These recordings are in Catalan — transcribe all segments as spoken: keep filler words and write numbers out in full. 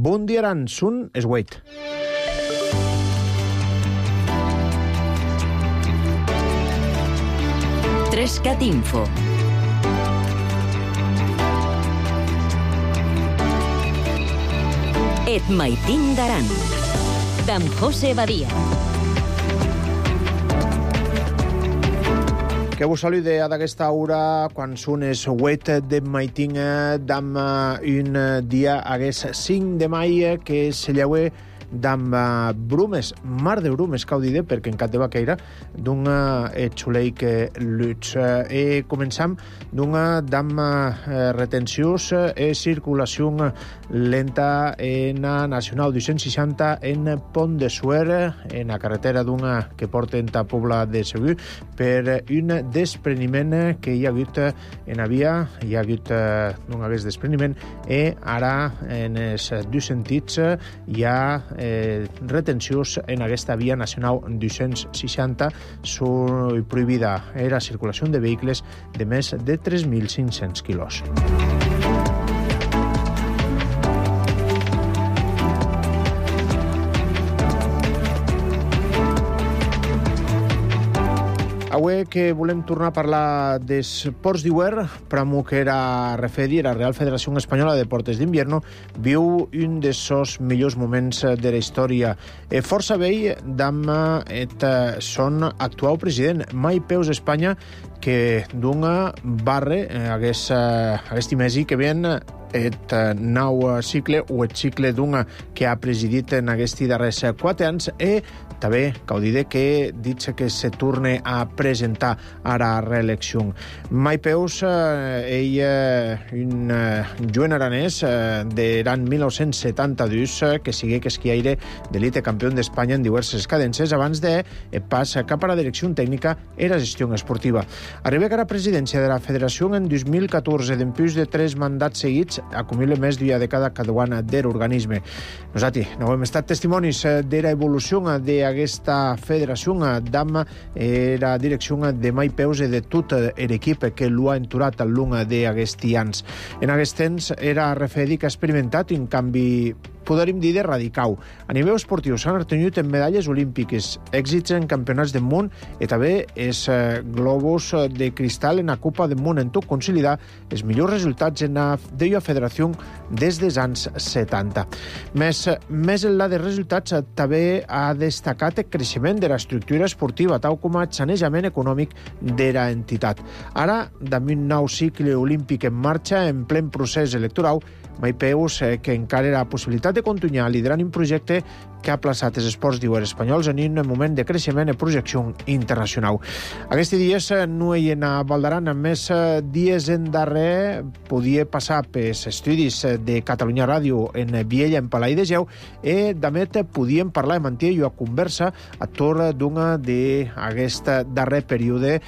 Bon dia, Aran, sun es Wait. Trescat Info. Et maitin d'Aran. D'en José Badia. Que vos salude a d'aquesta hora quan són es huet de maitin d'am un dia hagués cinc de mai que se llaue d'am brumes, mar de brumes, cau dir, perquè en cap de vaqueira d'un xuleic luts. E començam d'una d'am retencions e circulació lenta en a Nacional dos-cents seixanta en Pont de Suert, en la carretera d'una que porta en ta Pobla de Segur, per un despreniment que hi ha hagut en la via, hi ha hagut d'un hagués despreniment, i ara en els dos sentits hi ha eh, retencions en aquesta via nacional dos-cents seixanta. Són prohibida la circulació de vehicles de més de tres mil cinc-cents quilos. Avui que volem tornar a parlar dels ports d'hivern, pramo que era refedi, la Real Federació Espanyola de Deportes d'Invierno, viu un dels seus millors moments de la història. E força vell d'am et son actual president, Mai Peus Espanya, que d'una barre hagués, hagués timesi que ven et nou cicle o et cicle d'una que ha presidit en aquests darrers quatre anys e també cal dir que dit que se torne a presentar a la reelecció. Mai Peus, ell, un joven aranès de l'any mil nou-cents setanta-dos, que sigui que esquiaire d'elite campió d'Espanya en diverses cadences abans de pas cap a la direcció tècnica i la gestió esportiva. Arriba a la presidència de la Federació en dos mil catorze, d'empús de tres mandats seguits, acumula més d'una dècada caduana de l'organisme. Nosaltres no hem estat testimonis de l'evolució d'aquesta federació d'am la direcció de Mai Peus i de tot l'equip que l'ha enturat al long d'aquests anys. En aquest temps era refedi que ha experimentat un canvi, podríem dir, de radical. A nivell esportiu s'han obtingut en medalles olímpiques, èxits en campionats del món i també els globus de cristal en la Copa del Món, en tot consolidar els millors resultats en la deia federació des dels anys setanta. Més, més enllà de resultats, també ha destacat el creixement de l'estructura esportiva, tal com el sanejament econòmic de l'entitat. Ara, amb un nou cicle olímpic en marxa, en plen procés electoral, Mai Peus, que encara la possibilitat de continuar liderant un projecte que ha plaçat els esports d'hivern espanyols en un moment de creixement i projecció internacional. Aquests dies no hi ha a Valdaran, més dies en darrer podia passar pels estudis de Catalunya Ràdio en Viella, en Palai de Geu, i també podíem parlar i mantenir una conversa a torn d'una d'aquest darrer període.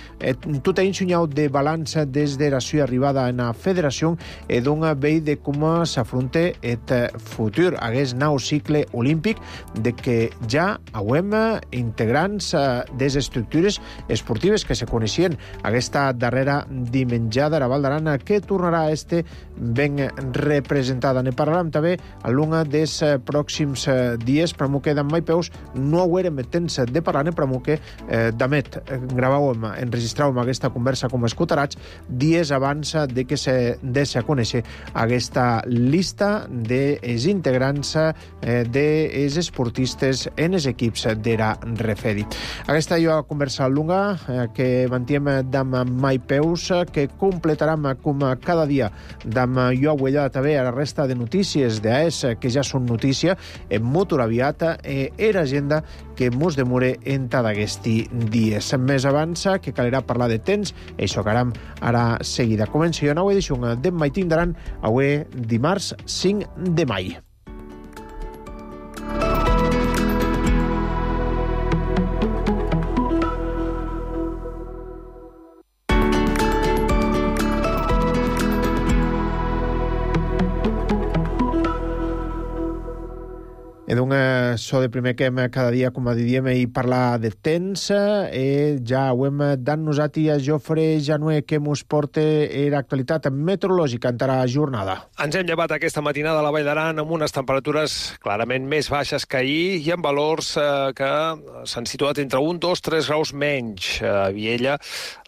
Tot ha ensenyat de balanç des de la seva arribada en la federació i d'una vell de com s'afronta el futur, aquest nou cicle olímpic, de que ja hauem integrants des estructures esportives que se coneixien aquesta darrera dimenjada a la Valdaran, que tornarà a este ben representada. Ne parlarem també a l'una dels pròxims dies, però que d'en Mai Peus no haurem temps de parlar, però que d'amet gravàvem, enregistràvem aquesta conversa com escoltarats dies abans de que se deixi a conèixer aquesta llista dels integrants dels esportistes en els equips de la Refedi. Aquesta és una conversa lunga que mantiem d'am Mai Peus, que completarem com cada dia d'am jo huella també a la resta de notícies d'AES, que ja són notícia, en molt aviat, i l'agenda que mos demore en tot aquest dies. Més abans, que calirà parlar de temps, això que aram ara seguida. Comença una nova edició d'en Maitin d'Aran, avui dimarts cinc de mai. so de primer que hem cada dia, com a diem, i parlar de temps. Eh, ja ho hem dan nosati a Jofre Janué, que mos porta era actualitat meteorològica en la jornada. Ens hem llevat aquesta matinada a la Vall d'Aran amb unes temperatures clarament més baixes que ahir i amb valors eh, que s'han situat entre un, dos, tres graus menys. A Viella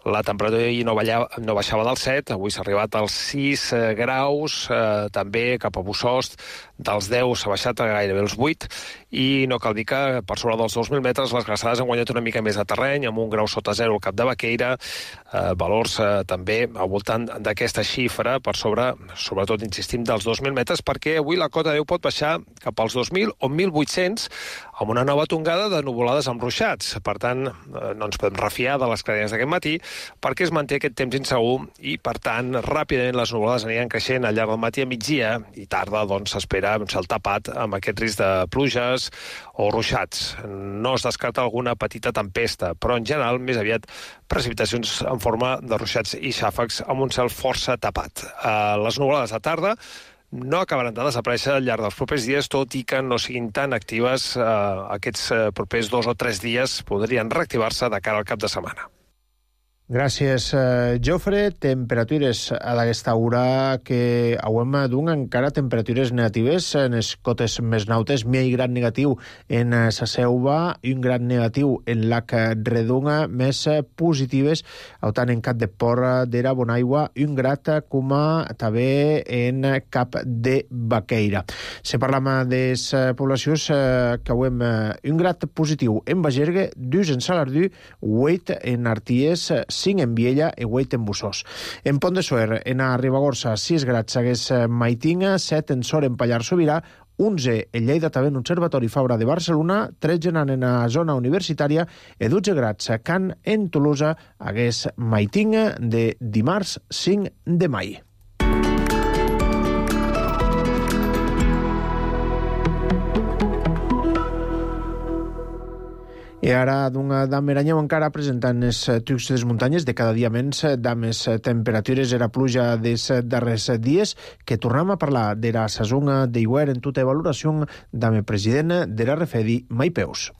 la temperatura ahir no, ballava, no baixava del set, avui s'ha arribat als sis eh, graus, eh, també cap a Bussost dels deu s'ha baixat a gairebé els vuit, i no cal dir que per sobre dels dos mil metres les glaçades han guanyat una mica més de terreny, amb un grau sota zero al cap de Baqueira, eh, valors eh, també al voltant d'aquesta xifra, per sobre, sobretot insistim, dels dos mil metres, perquè avui la cota deu pot baixar cap als dos mil o mil vuit-cents, amb una nova tongada de nuvolades amb ruixats. Per tant, eh, no ens podem refiar de les cadenes d'aquest matí, perquè es manté aquest temps insegur i, per tant, ràpidament les nuvolades aniran creixent al llarg del matí a migdia i tarda, doncs, s'espera un cel tapat amb aquest risc de pluges o ruixats. No es descarta alguna petita tempesta, però en general més aviat precipitacions en forma de ruixats i xàfecs amb un cel força tapat. Uh, les nuvolades de tarda no acabaran de desaparèixer al llarg dels propers dies, tot i que no siguin tan actives eh, aquests eh, propers dos o tres dies, podrien reactivar-se de cara al cap de setmana. Gràcies, eh, Jofre. Temperatures a d'aquesta hora que hauem d'un encara temperatures negatives en les cotes més nautes, mi gran negatiu en sa Selva i un gran negatiu en Lac Redonga, més positives au tant en Cap de Porra d'Era Bonaigua i un grat com a també en Cap de Baqueira. Se parlam de les poblacions eh, que hauem un grat positiu en Bagergue, dus en Salardú, vuit en Arties, cinc en Viella i vuit en Bussost. En Pont de Suert, en a Ribagorça, sis grads hagués Maitinga, set en Sor en Pallar Sobirà, onze en Lleida, també en Observatori Fabra de Barcelona, tretze en a zona universitària i dotze grads a Can en Tolosa hagués Maitinga de dimarts cinc de maig. I ara d'una dam Eranyeu encara presentant els trucs de les muntanyes de cada dia menys dames temperatures era pluja dels darrers dies que tornem a parlar de la sazonga d'Iguer en tota valoració dame president de la Refedi Mai Peus.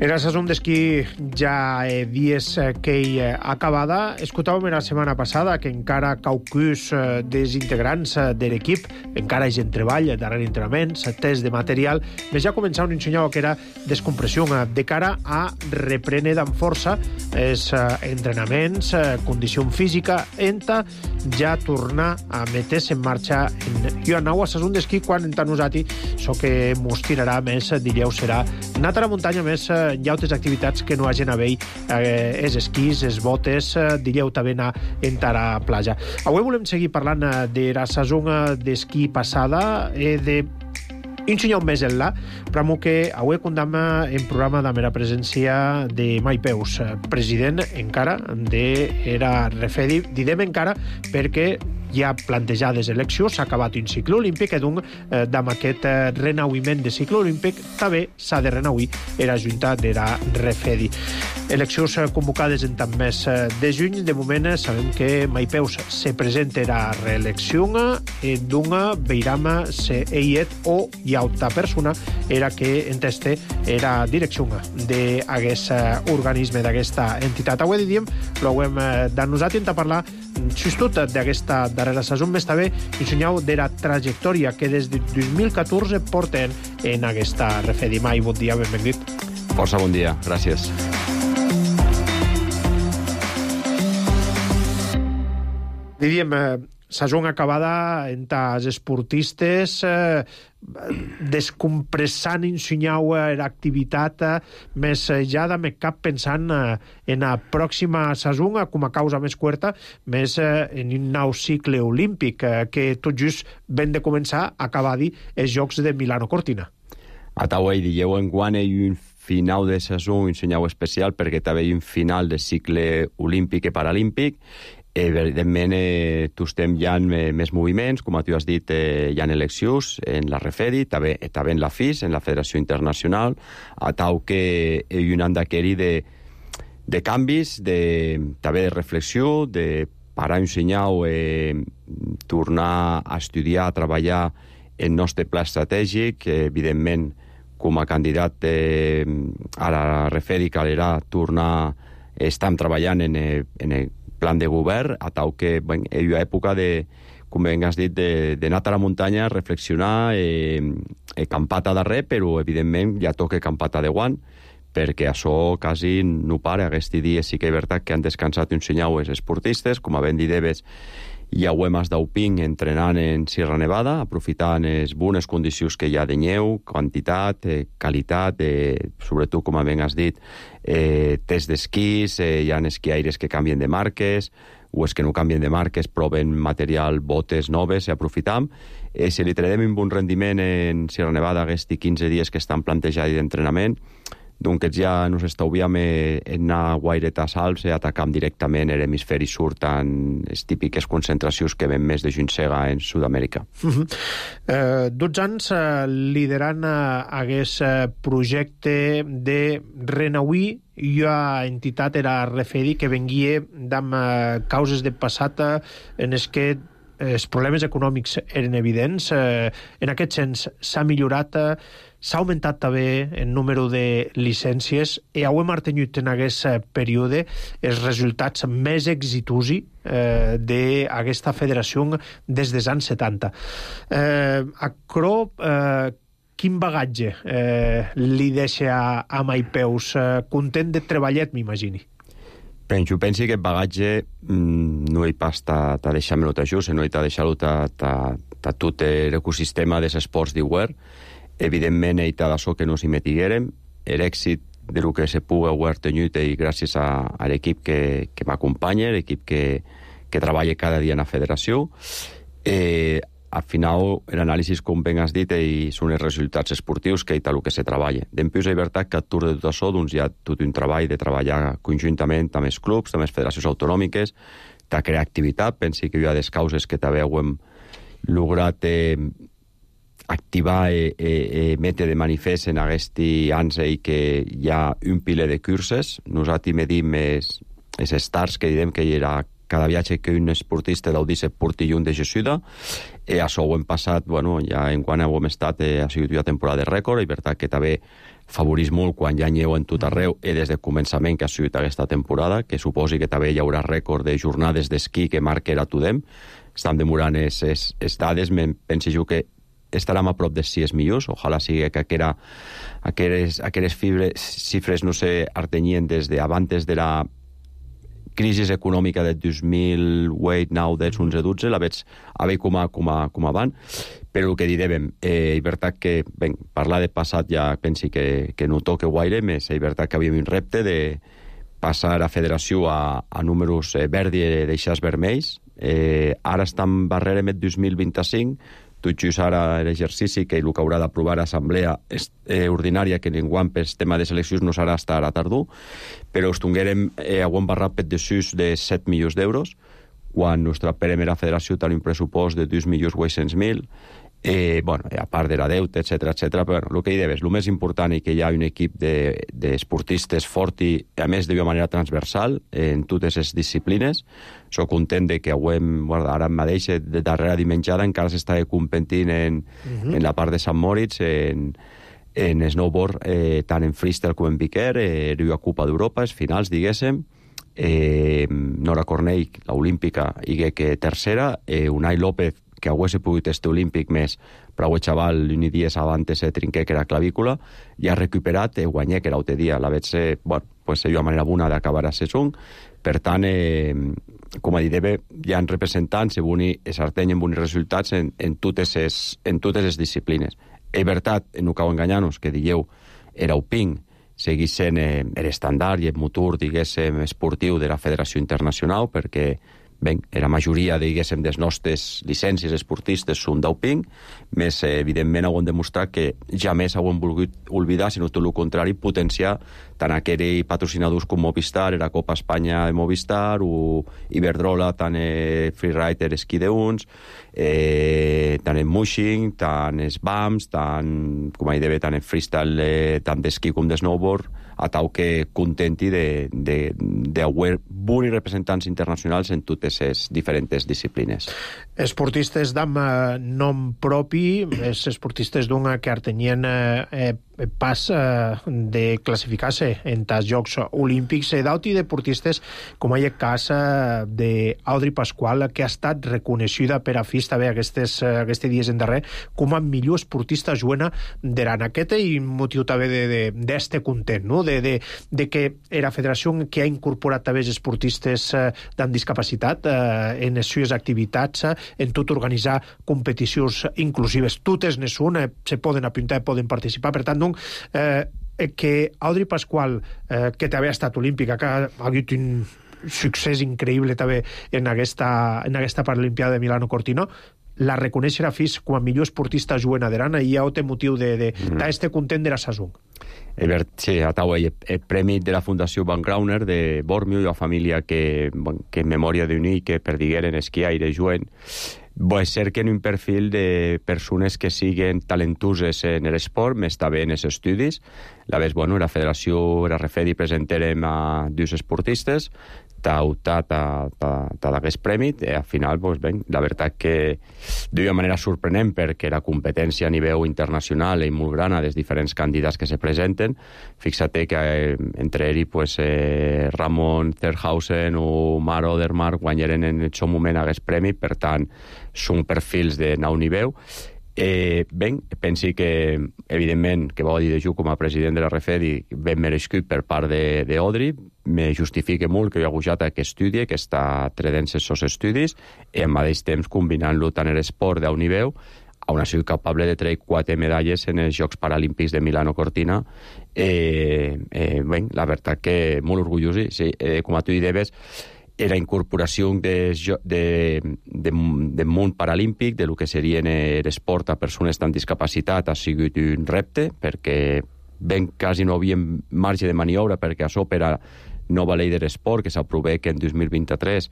Era sazón d'esquí ja eh, dies eh, que hi eh, acabada. Escoltàvem la setmana passada que encara caucus eh, dels integrants eh, de l'equip, encara hi gent treball, darrere entrenaments, test de material, més ja començava un ensenyar que era descompressió eh, de cara a reprendre amb força els eh, entrenaments, eh, condició física, enta ja tornar a meter-se en marxa en jo anau a sazón d'esquí quan enta nosati so que mos tirarà més, diríeu, serà anar a la muntanya més eh, hi ha altres activitats que no hagin a veure eh, els esquís, els botes, eh, diríeu també anar a entrar a la platja. Avui volem seguir parlant eh, de la saison d'esquí passada i eh, de ensenyar un més enllà, però que avui condamna en programa de mera presència de Mai Peus, president encara de era Refedi. Direm encara perquè hi ha plantejades eleccions, s'ha acabat un cicle olímpic i doncs eh, amb aquest eh, renauïment de cicle olímpic també s'ha de renauir la Junta de la Refedi. Eleccions eh, convocades en tant mes eh, de juny. De moment eh, sabem que Mai Peus se presenta a reelecció i doncs veiram se eiet o hi ha altra persona era que enteste era direcció d'aquest organisme, d'aquesta entitat. Avui diem, ho hem de nosaltres a parlar justot d'aquesta darrera saison, més també ensenyau de la trajectòria que des de dos mil catorze porten en aquesta Refedi. Mai, bon dia, benvingut. Força bon dia, gràcies. Diríem, saison acabada entre els esportistes, eh, descompressant, ensenyau l'activitat, més ja de més cap pensant en la pròxima saison com a causa més curta, més en un nou cicle olímpic que tot just ben de començar a acabar dir els Jocs de Milano-Cortina. A Tauei digueu en quan hi ha un final de saison, un senyal especial perquè també hi ha un final de cicle olímpic i paralímpic Evidentment, eh, tu estem ja en més moviments, com tu has dit, eh, hi ha eleccions en la Refedi, també, també en la F I S, en la Federació Internacional, a tau que hi ha un any d'aquí de, de canvis, de, també de reflexió, de parar un senyal, eh, tornar a estudiar, a treballar el nostre pla estratègic, eh, evidentment, com a candidat eh, a la Refedi calirà tornar, estem treballant en, en el plan de govern, a tau que ben, hi ha època de, com ben has dit, d'anar a la muntanya, reflexionar, eh, eh, campata darrer, però evidentment ja toca campata de guant, perquè això quasi no para. Aquests dies sí que és veritat que han descansat un senyal els esportistes, com a ben dideves, hi ha uemes d'Auping entrenant en Sierra Nevada, aprofitant les bones condicions que hi ha de neu, quantitat, eh, qualitat, eh, sobretot, com ben has dit, eh, test d'esquís, eh, hi ha esquiaires que canvien de marques, o és que no canvien de marques, proven material, botes noves, i aprofitam. Eh, si li traiem un bon rendiment en Sierra Nevada aquests quinze dies que estan plantejats d'entrenament, doncs ja no s'estalviem en anar guaireta salts i atacam directament l'hemisferi sud en les típiques concentracions que ven més de Juncega en Sud-amèrica. Uh-huh. eh, dotze anys eh, liderant eh, aquest eh, projecte de Renauí, i una entitat era Refedi que venguia d'amb eh, causes de passat eh, en els que els problemes econòmics eren evidents. Eh, en aquest sens s'ha millorat, eh, s'ha augmentat també el número de llicències i heu mantingut en aquest període els resultats més exitosi eh, d'aquesta federació des dels anys setanta. Eh, Acro, eh, quin bagatge eh, li deixa a, a Maipeus? Eh, content de treballat, m'imagini. Penso, pensi que el bagatge mmm, no hi pas ta, ta deixar-me-lo ta just, no hi ta deixar-lo ta, ta, ta tot l'ecosistema dels esports d'Iguer. Evidentment, hi ta d'això que no s'hi metiguérem. L'èxit de lo que se pugui haver tenut i gràcies a, a l'equip que, que m'acompanya, l'equip que, que treballa cada dia en la federació. Eh, al final, l'anàlisi, com ben has dit, i són els resultats esportius que hi ha el que se treballa. Dempeus és veritat que a tur de tot això doncs, hi ha tot un treball de treballar conjuntament amb els clubs, amb les federacions autonòmiques, de crear activitat. Pensi que hi ha des causes que també hem lograt eh, activar i eh, eh, metre de manifest en aquests anys i que hi ha un piler de curses. Nosaltres medim els stars que direm que hi era cada viatge que un esportista deu dir se porti lluny de Jesuda. I això ho hem passat, bueno, ja en quan hem estat, eh, ha sigut una temporada de rècord, i per tant que també favorís molt quan hi ha neu en tot arreu, i des del començament que ha sigut aquesta temporada, que suposi que també hi haurà rècord de jornades d'esquí que marcarà tothom. Estem demorant les dades, penso jo que estarem a prop de sis milions, ojalà sigui que aquera, aqueres, aqueres fibres, xifres no se artenyien des de abans de la crisi econòmica del dos mil vuit, nou, deu, onze, dotze, la veig a veure com a, com a, com a van, però el que direm, eh, és veritat que, ben, parlar de passat ja pensi que, que no toca guaire, més és veritat que havíem un repte de passar a federació a, a números eh, verdi i deixars vermells. Eh, ara estem barrerem el dos mil vint-i-cinc, tot just ara l'exercici que el que haurà d'aprovar l'assemblea eh, ordinària, que enguany per tema de seleccions no serà estar a tardor, però estonguerem eh, a un barrat per desús de set milions d'euros, quan nostra primera federació té un pressupost de dos milions vuit-cents mil, eh, bueno, a part de la deuta, etcètera, etcètera, però bueno, el que hi debes, el més important és que hi ha un equip d'esportistes de, fort i, a més, d'una manera transversal en totes les disciplines. Soc content de que avui, bueno, ara mateix, de darrera dimenjada, encara s'està competint en, uh-huh. en la part de Sant Moritz, en, en snowboard, eh, tant en freestyle com en piquer, eh, la Copa d'Europa, els finals, diguéssim. Eh, Nora Cornell, l'olímpica, i que tercera, eh, Unai López, que hagués pogut este olímpic més, però el xaval l'uni dies abans se trinqué que era clavícula, i ha recuperat i guanyé que era l'altre dia. La veig ser, bueno, pues una manera bona d'acabar a session. Per tant, eh, com a dit, hi ha representants i s'artenyen bons resultats en, en, totes les, en totes les disciplines. És veritat, no cal enganyar-nos, que dieu, era Auping, seguís sent eh, l'estandard i el motor, diguéssim, esportiu de la Federació Internacional, perquè ben, la majoria, diguéssim, des nostres llicències esportistes són doping, més, eh, evidentment, ho hem demostrat que jamais ho hem volgut oblidar, sinó tot el contrari, potenciar tant aquells patrocinadors com Movistar, la Copa Espanya de Movistar, o Iberdrola, tant eh, freerider esquí d'uns, eh, tant en mushing, tant es B A M S, tant, com hi deve, tant en freestyle, eh, tant d'esquí com de snowboard, a tal que contenti d'haver bons representants internacionals en totes les diferents disciplines. Esportistes d'amb nom propi, és esportistes d'un que tenien eh, pas eh, de classificar-se en els Jocs Olímpics, eh, d'auti deportistes, com hi ha cas eh, d'Audrey Pascual, que ha estat reconeguda per a F I S també aquests, aquests dies en darrer com a millor esportista joana d'aran. Aquest i motiu també d'este content, no? De, de, de que era federació que ha incorporat també els esportistes eh, amb discapacitat eh, en les seves activitats, eh, en tot organitzar competicions inclusives. Totes ne són, eh, se poden apuntar, poden participar. Per tant, doncs, eh, que Audrey Pascual, eh, que també ha estat olímpica, que ha hagut un succés increïble també en aquesta, en aquesta Paralimpiada de Milano Cortina, la reconeix a F I S com a millor esportista joana d'aran, i hi ha un motiu de, de, mm. d'este content de la Sasung. Sí, a Tau, el premi de la Fundació Van Grauner de Bormio i la família que, que en memòria d'unir que perdigueren esquiar i juguen. Bo, és cert que en un perfil de persones que siguen talentoses en l'esport, més també en els estudis. La vez, bueno, la federació, la Refedi, presentarem a dos esportistes, t'ha optat a, a, a d'aquest premi, i al final, pues, ben, la veritat que d'una manera sorprenent, perquè la competència a nivell internacional és molt gran a dels diferents candidats que se presenten. Fixa't que eh, entre ells, pues, eh, Ramon Zerhausen o Mar Odermatt guanyaren en aquest moment aquest premi, per tant, són perfils de nou nivell. Eh, ben, pensi que, evidentment, que va dir de jo com a president de la Refedi, ben merescut per part d'Audrey, me justifica molt que jo he gujat aquest estudi, que està tredent els seus estudis, i al mateix temps combinant-lo tant l'esport d'un nivell, on ha sigut capable de treure quatre medalles en els Jocs Paralímpics de Milano Cortina. Eh, eh, ben, la veritat que molt orgullós, sí, eh, com a tu deies, la incorporació de, de, de, de món paralímpic, de lo que seria l'esport a persones amb discapacitat, ha sigut un repte, perquè ben quasi no havia marge de maniobra, perquè a sobre era nova llei de l'esport que s'aprovà que en dos mil vint-i-tres,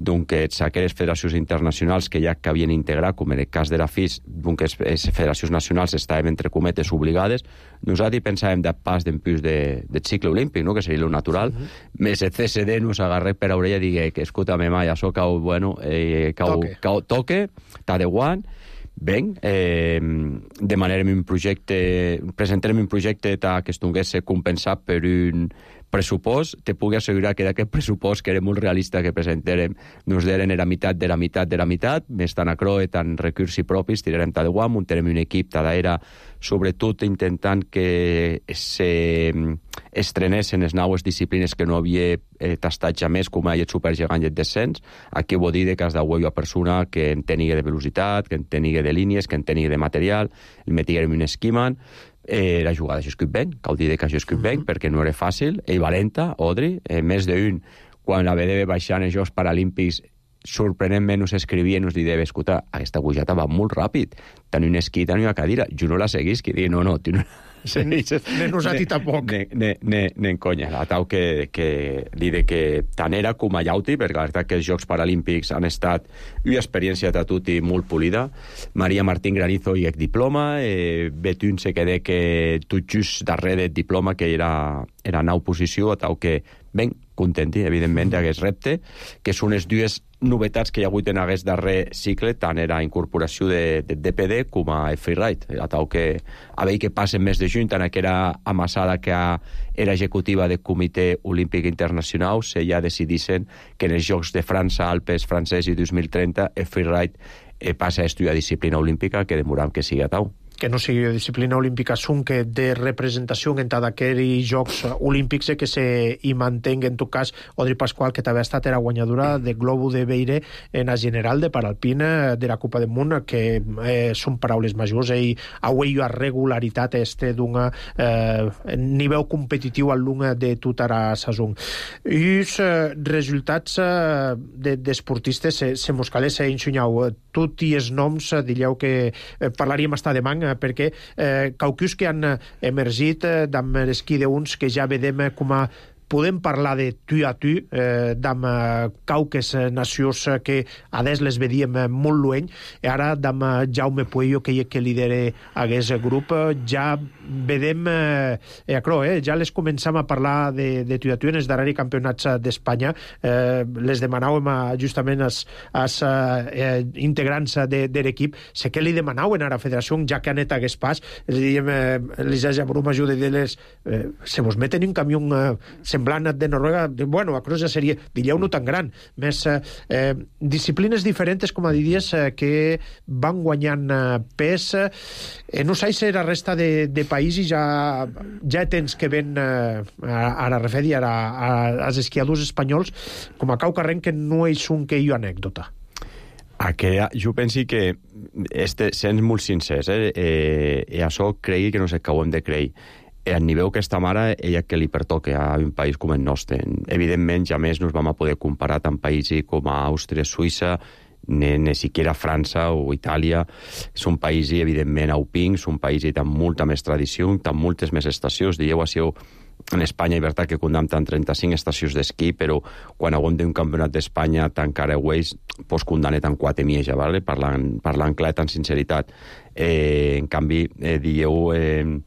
doncs aquelles federacions internacionals que ja que havien integrat, com en el cas de la F I S, doncs les federacions nacionals estaven entre cometes obligades. Nosaltres pensàvem de pas d'en plus de, de cicle olímpic, no? Que seria lo natural. Uh -huh. Més el C S D nos agarré per a orella i digué que escútame, ma, això cau, bueno, eh, cau, toque, cau, toque t'adeuant. Ben, eh, demanarem un projecte, presentarem un projecte que estongués compensat per un pressupost. Te pugui assegurar que d'aquest pressupost, que era molt realista que presentarem, nos deren la meitat de la meitat de la meitat, més tant acroe, tant recursos propis, tirarem tal de guam, muntarem un equip tal era, sobretot intentant que se estrenessin les noves disciplines que no havia eh, tastat ja més, com el supergegant i el descens. Aquí ho vull dir que has de una persona que en tenia de velocitat, que en tenia de línies, que en tenia de material, el metiguem un esquiman. Eh, la jugada jo escric ben, cal dir que jo escric ben, perquè no era fàcil, ell valenta, Audrey, eh, més d'un, quan la vedeva baixant els Jocs Paralímpics, sorprenentment us escrivia i us deia, escolta, aquesta pujada va molt ràpid, tant un esquí, tant una cadira, jo no la seguís, que diu, no, no, tu no... Sí, ne nosaltres tampoc. Ne, ne, ne, ne en conya, la tau que, que li de que tant era com a llauti, perquè la veritat que els Jocs Paralímpics han estat una experiència de tot i molt polida. Maria Martín Granizo i el diploma, eh, Betún se quedé que tot just darrere del diploma, que era, era nau posició, a tau que ben contenti, evidentment, d'aquest repte, que són les dues novetats que hi ha hagut en aquest darrer cicle, tant era incorporació de, de D P D com a freeride. A tau que a veure què passa més de juny, tant que era amassada que era executiva del Comitè Olímpic Internacional, se ja decidissin que en els Jocs de França, Alpes francès i dos mil trenta, el freeride eh, passa a estudiar disciplina olímpica, que demoram que sigui a tau. que no sigui disciplina olímpica, són que de representació en tant aquells Jocs Olímpics que se hi mantenga, en tot cas, Odri Pasqual, que també ha estat era guanyadora de Globo de Beire en la general de Paralpina de la Copa del Món, que eh, són paraules majors, i avui hi ha regularitat este d'un eh, nivell competitiu al long de tota la saison. I els eh, resultats eh, d'esportistes de, se, se mos calés ensenyau. Tot i els noms, eh, diríeu que eh, parlaríem hasta demà, eh, perquè eh, caucus que han emergit eh, amb l'esquí d'uns que ja vedem eh, com a podem parlar de tu a tu, eh, d'amb cauques nacions que a des les vedíem molt lluny, i ara d'amb Jaume Puello, que, que lidera aquest grup, ja vedem, eh, eh, ja les començam a parlar de, de tu a tu en els darrers campionats d'Espanya, eh, les demanàvem a, justament als, als eh, integrants de, de l'equip, sé que li demanaven a la federació, ja que anet hagués pas, els diem, eh, les Jabruma ajuda de les, eh, se vos meten un camió eh, semblant de Noruega, bueno, a Cruz ja seria, diríeu, no tan gran, més eh, disciplines diferents, com a diries, eh, que van guanyant eh, pes. Eh, no sé si la resta de, de països ja, ja tens que ven eh, a, a la refedi, a, a, als esquiadors espanyols, com a cau carrent, que no és un que hi ha anècdota. Aquella, jo penso que, este, sent molt sincers, eh, eh, i això cregui que no sé què ho hem de creir. Al nivell que estem ara, ella que li pertoca a un país com el nostre. Evidentment, ja més no ens vam a poder comparar amb països com a Àustria, Suïssa, ni, ni siquiera França o Itàlia. Són països, evidentment, aupings, són països amb molta més tradició, amb moltes més estacions. Dieu, així, en Espanya, és veritat que condemnen trenta-cinc estacions d'esquí, però quan haguem d'un campionat d'Espanya tan careueix, pues condemnet en quatre mieja, ¿vale? parlant, parlant clar, tan sinceritat. Eh, en canvi, eh, dieu... Eh,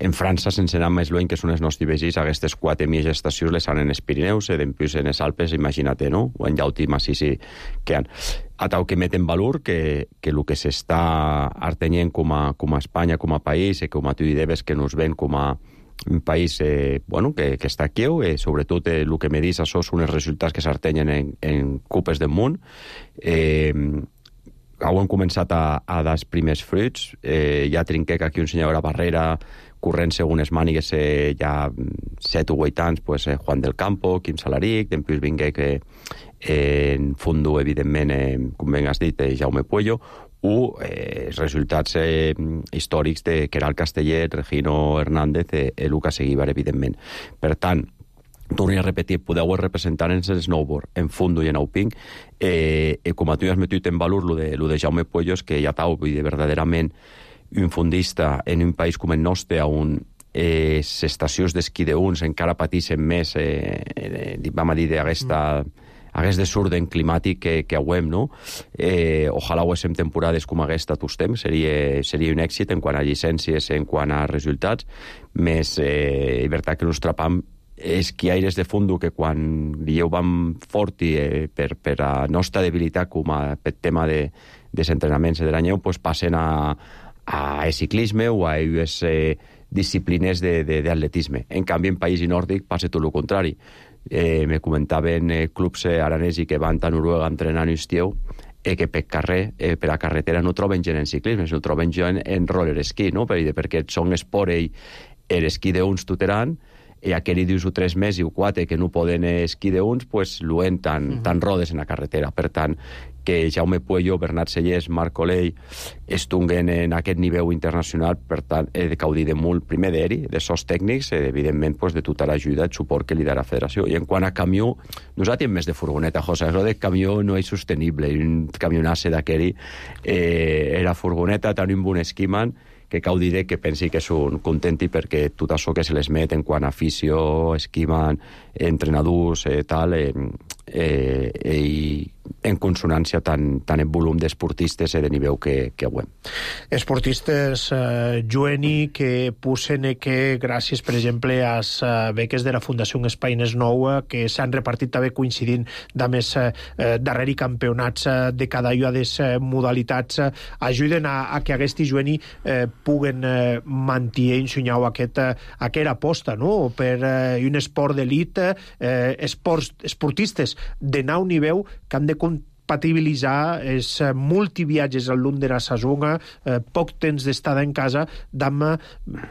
en França, sense anar més lluny, que són els nostres veïns, aquestes quatre mil estacions les han en els Pirineus, i després en els Alpes, imagina't, no? O en llauti massissi que han. A tal que met en valor que, que el que s'està artenyent com a, com a Espanya, com a país, i com a tu deies que nos ven com a un país eh, bueno, que, que està aquí, eh, sobretot eh, el que me dis, això són els resultats que s'artenyen en, en Copes del Món. Eh, hem començat a, a dar els primers fruits, eh, ja trinqué que aquí un senyor a Barrera, corrent segons les mànigues, eh, ja set o vuit anys, pues, eh, Juan del Campo, Quim Salaric, després vingué que eh, en fondo, evidentment, eh, com ben has dit, eh, Jaume Puello, o eh, els resultats eh, històrics de Queralt Castellet, Regino Hernández i eh, Lucas Eguíbar, evidentment. Per tant, torno a repetir, podeu representar en el snowboard, en fondo i en auping, eh, eh, com a tu has metit en valor lo de, lo de Jaume Puello, és que ja t'ho vull dir, verdaderament, un fondista en un país com el nostre, on eh, les estacions d'esquí d'uns encara pateixen més, eh, eh, vam a dir, d'aquesta aquest desorden climàtic que, que hauem, no? Eh, ojalà ho haguéssim temporades com aquesta tots temps, seria, seria un èxit en quant a llicències, en quant a resultats, més eh, és veritat que nos trapam esquiaires de fondo que quan dieu vam fort i eh, per, per a nostra debilitat com a per tema de, de entrenaments de l'anyeu, pues passen a a ciclisme o a les eh, disciplines d'atletisme. En canvi, en país nòrdic passa tot el contrari. Eh, me comentaven eh, clubs eh, aranesi que van a Noruega entrenant estiu eh, que per carrer, eh, per a carretera no troben gent en ciclisme, no troben gent en roller esquí, no? perquè són esport i l'esquí d'uns tuteran, i aquell dius o tres mesos o quatre que no poden esquí d'uns, pues luen tan, uh -huh. tan rodes en la carretera. Per tant, que Jaume Puello, Bernat Sellers, Marc Oley estunguen en aquest nivell internacional, per tant, he de caudir de molt, primer d'eri, de sos tècnics, i evidentment pues, de tota l'ajuda, el suport que li darà la federació. I en quant a camió, nosaltres més de furgoneta, José, això de camió no és sostenible, un camionasse d'aquell eh, era furgoneta, tant un bon esquiman, que cau dir que pensi que són contenti perquè tot això que se les met en quant a afició, esquiman, entrenadors, eh, tal, eh, eh, i en consonància tant, tant en volum d'esportistes i de nivell que, que avui. Esportistes, eh, Joeni, que posen que gràcies, per exemple, a les eh, beques de la Fundació Espai Nes Nou, eh, que s'han repartit també coincidint de més eh, darreri campionats eh, de cada una de les eh, modalitats, eh, ajuden a, a que aquests Joeni eh, puguen eh, mantenir ensenyar aquest, eh, aquesta aposta, no?, per eh, un esport d'elit, eh, esports, esportistes de nou nivell que han de compatibilitzar els multiviatges al lung de la saison, eh, poc temps d'estada en casa, amb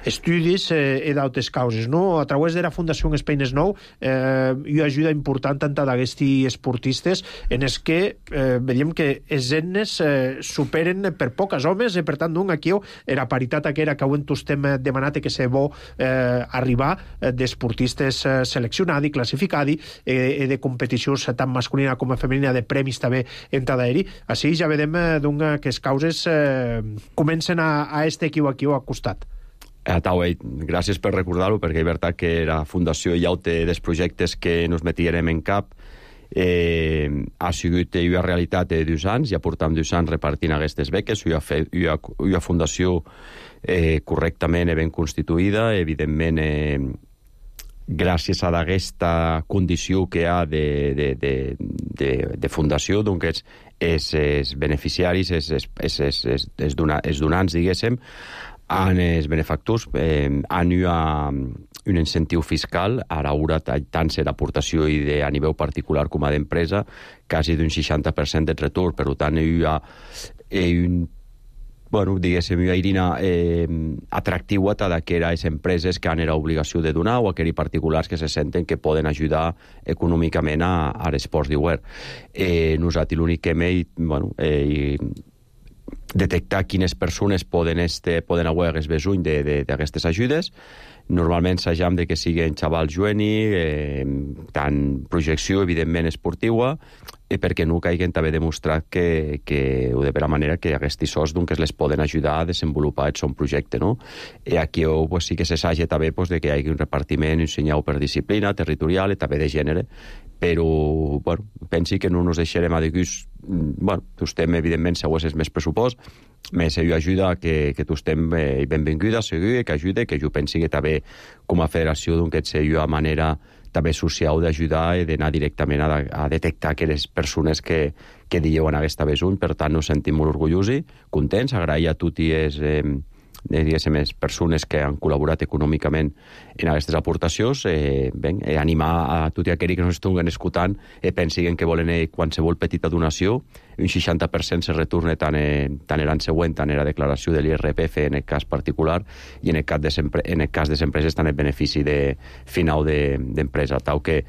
estudis eh, i d'altres causes. No? A través de la Fundació Espeines Nou eh, hi ha ajuda important tant d'aquests esportistes en els que eh, veiem que els etnes eh, superen per poques homes i per tant d'un aquí era paritat aquera que avui estem demanat que se bo eh, arribar eh, d'esportistes eh, seleccionats i classificats eh, de competicions tant masculina com femenina de premis també en Tadaeri. Així ja vedem eh, que les causes eh, comencen a, a este aquí o aquí o a costat. Eh, Tauei, gràcies per recordar-ho, perquè és veritat que la Fundació ja té dels projectes que nos metirem en cap. Eh, ha sigut una realitat de dos anys, ja portam dos anys repartint aquestes beques, una, una, una fundació eh, correctament ben constituïda, evidentment eh, gràcies a aquesta condició que hi ha de, de, de, de, de fundació, doncs els, els, els beneficiaris, els, els, els, els, els, dona, els donants, diguéssim, han, els benefactors, eh, han una, un incentiu fiscal, a l'hora tant ser d'aportació i de, a nivell particular com a d'empresa, quasi d'un seixanta per cent de retorn. Per tant, hi ha un bueno, diguéssim, una eina eh, atractiva a aquelles empreses que han l'obligació de donar o aquells particulars que se senten que poden ajudar econòmicament a, a l'esports d'hivern. Eh, nosaltres l'únic que hem bueno, eh, detectar quines persones poden, este, poden haver el besuny d'aquestes ajudes. Normalment s'ajam de que siguin xavals jueni, eh, tant projecció, evidentment, esportiva, i perquè no caiguen també demostrat que, que o de per la manera que aquests sos doncs, les poden ajudar a desenvolupar el seu projecte. No? I aquí oh, pues, sí que s'assaja també pues, de que hi hagi un repartiment ensenyat per disciplina territorial i també de gènere, però bueno, pensi que no ens deixarem a digus, bueno, tu estem evidentment si és més pressupost, més ell ajuda que, que tu estem eh, benvinguda, segur, que ajude, que jo pensi que també com a federació doncs és una manera també social d'ajudar i d'anar directament a, a detectar aquelles persones que, que diuen aquesta besuny. Per tant, nos sentim molt orgullosos, contents, agrair a tots els eh, diguéssim, les persones que han col·laborat econòmicament en aquestes aportacions, eh, ben, eh, animar a tots aquells que ens estiguin escoltant i eh, pensin que volen eh, qualsevol petita donació, un seixanta per cent se retorna tant, eh, tant l'any següent, tant en la declaració de l'I R P F en el cas particular i en el cas de, en el cas de les empreses tant el benefici de final d'empresa, de, tal que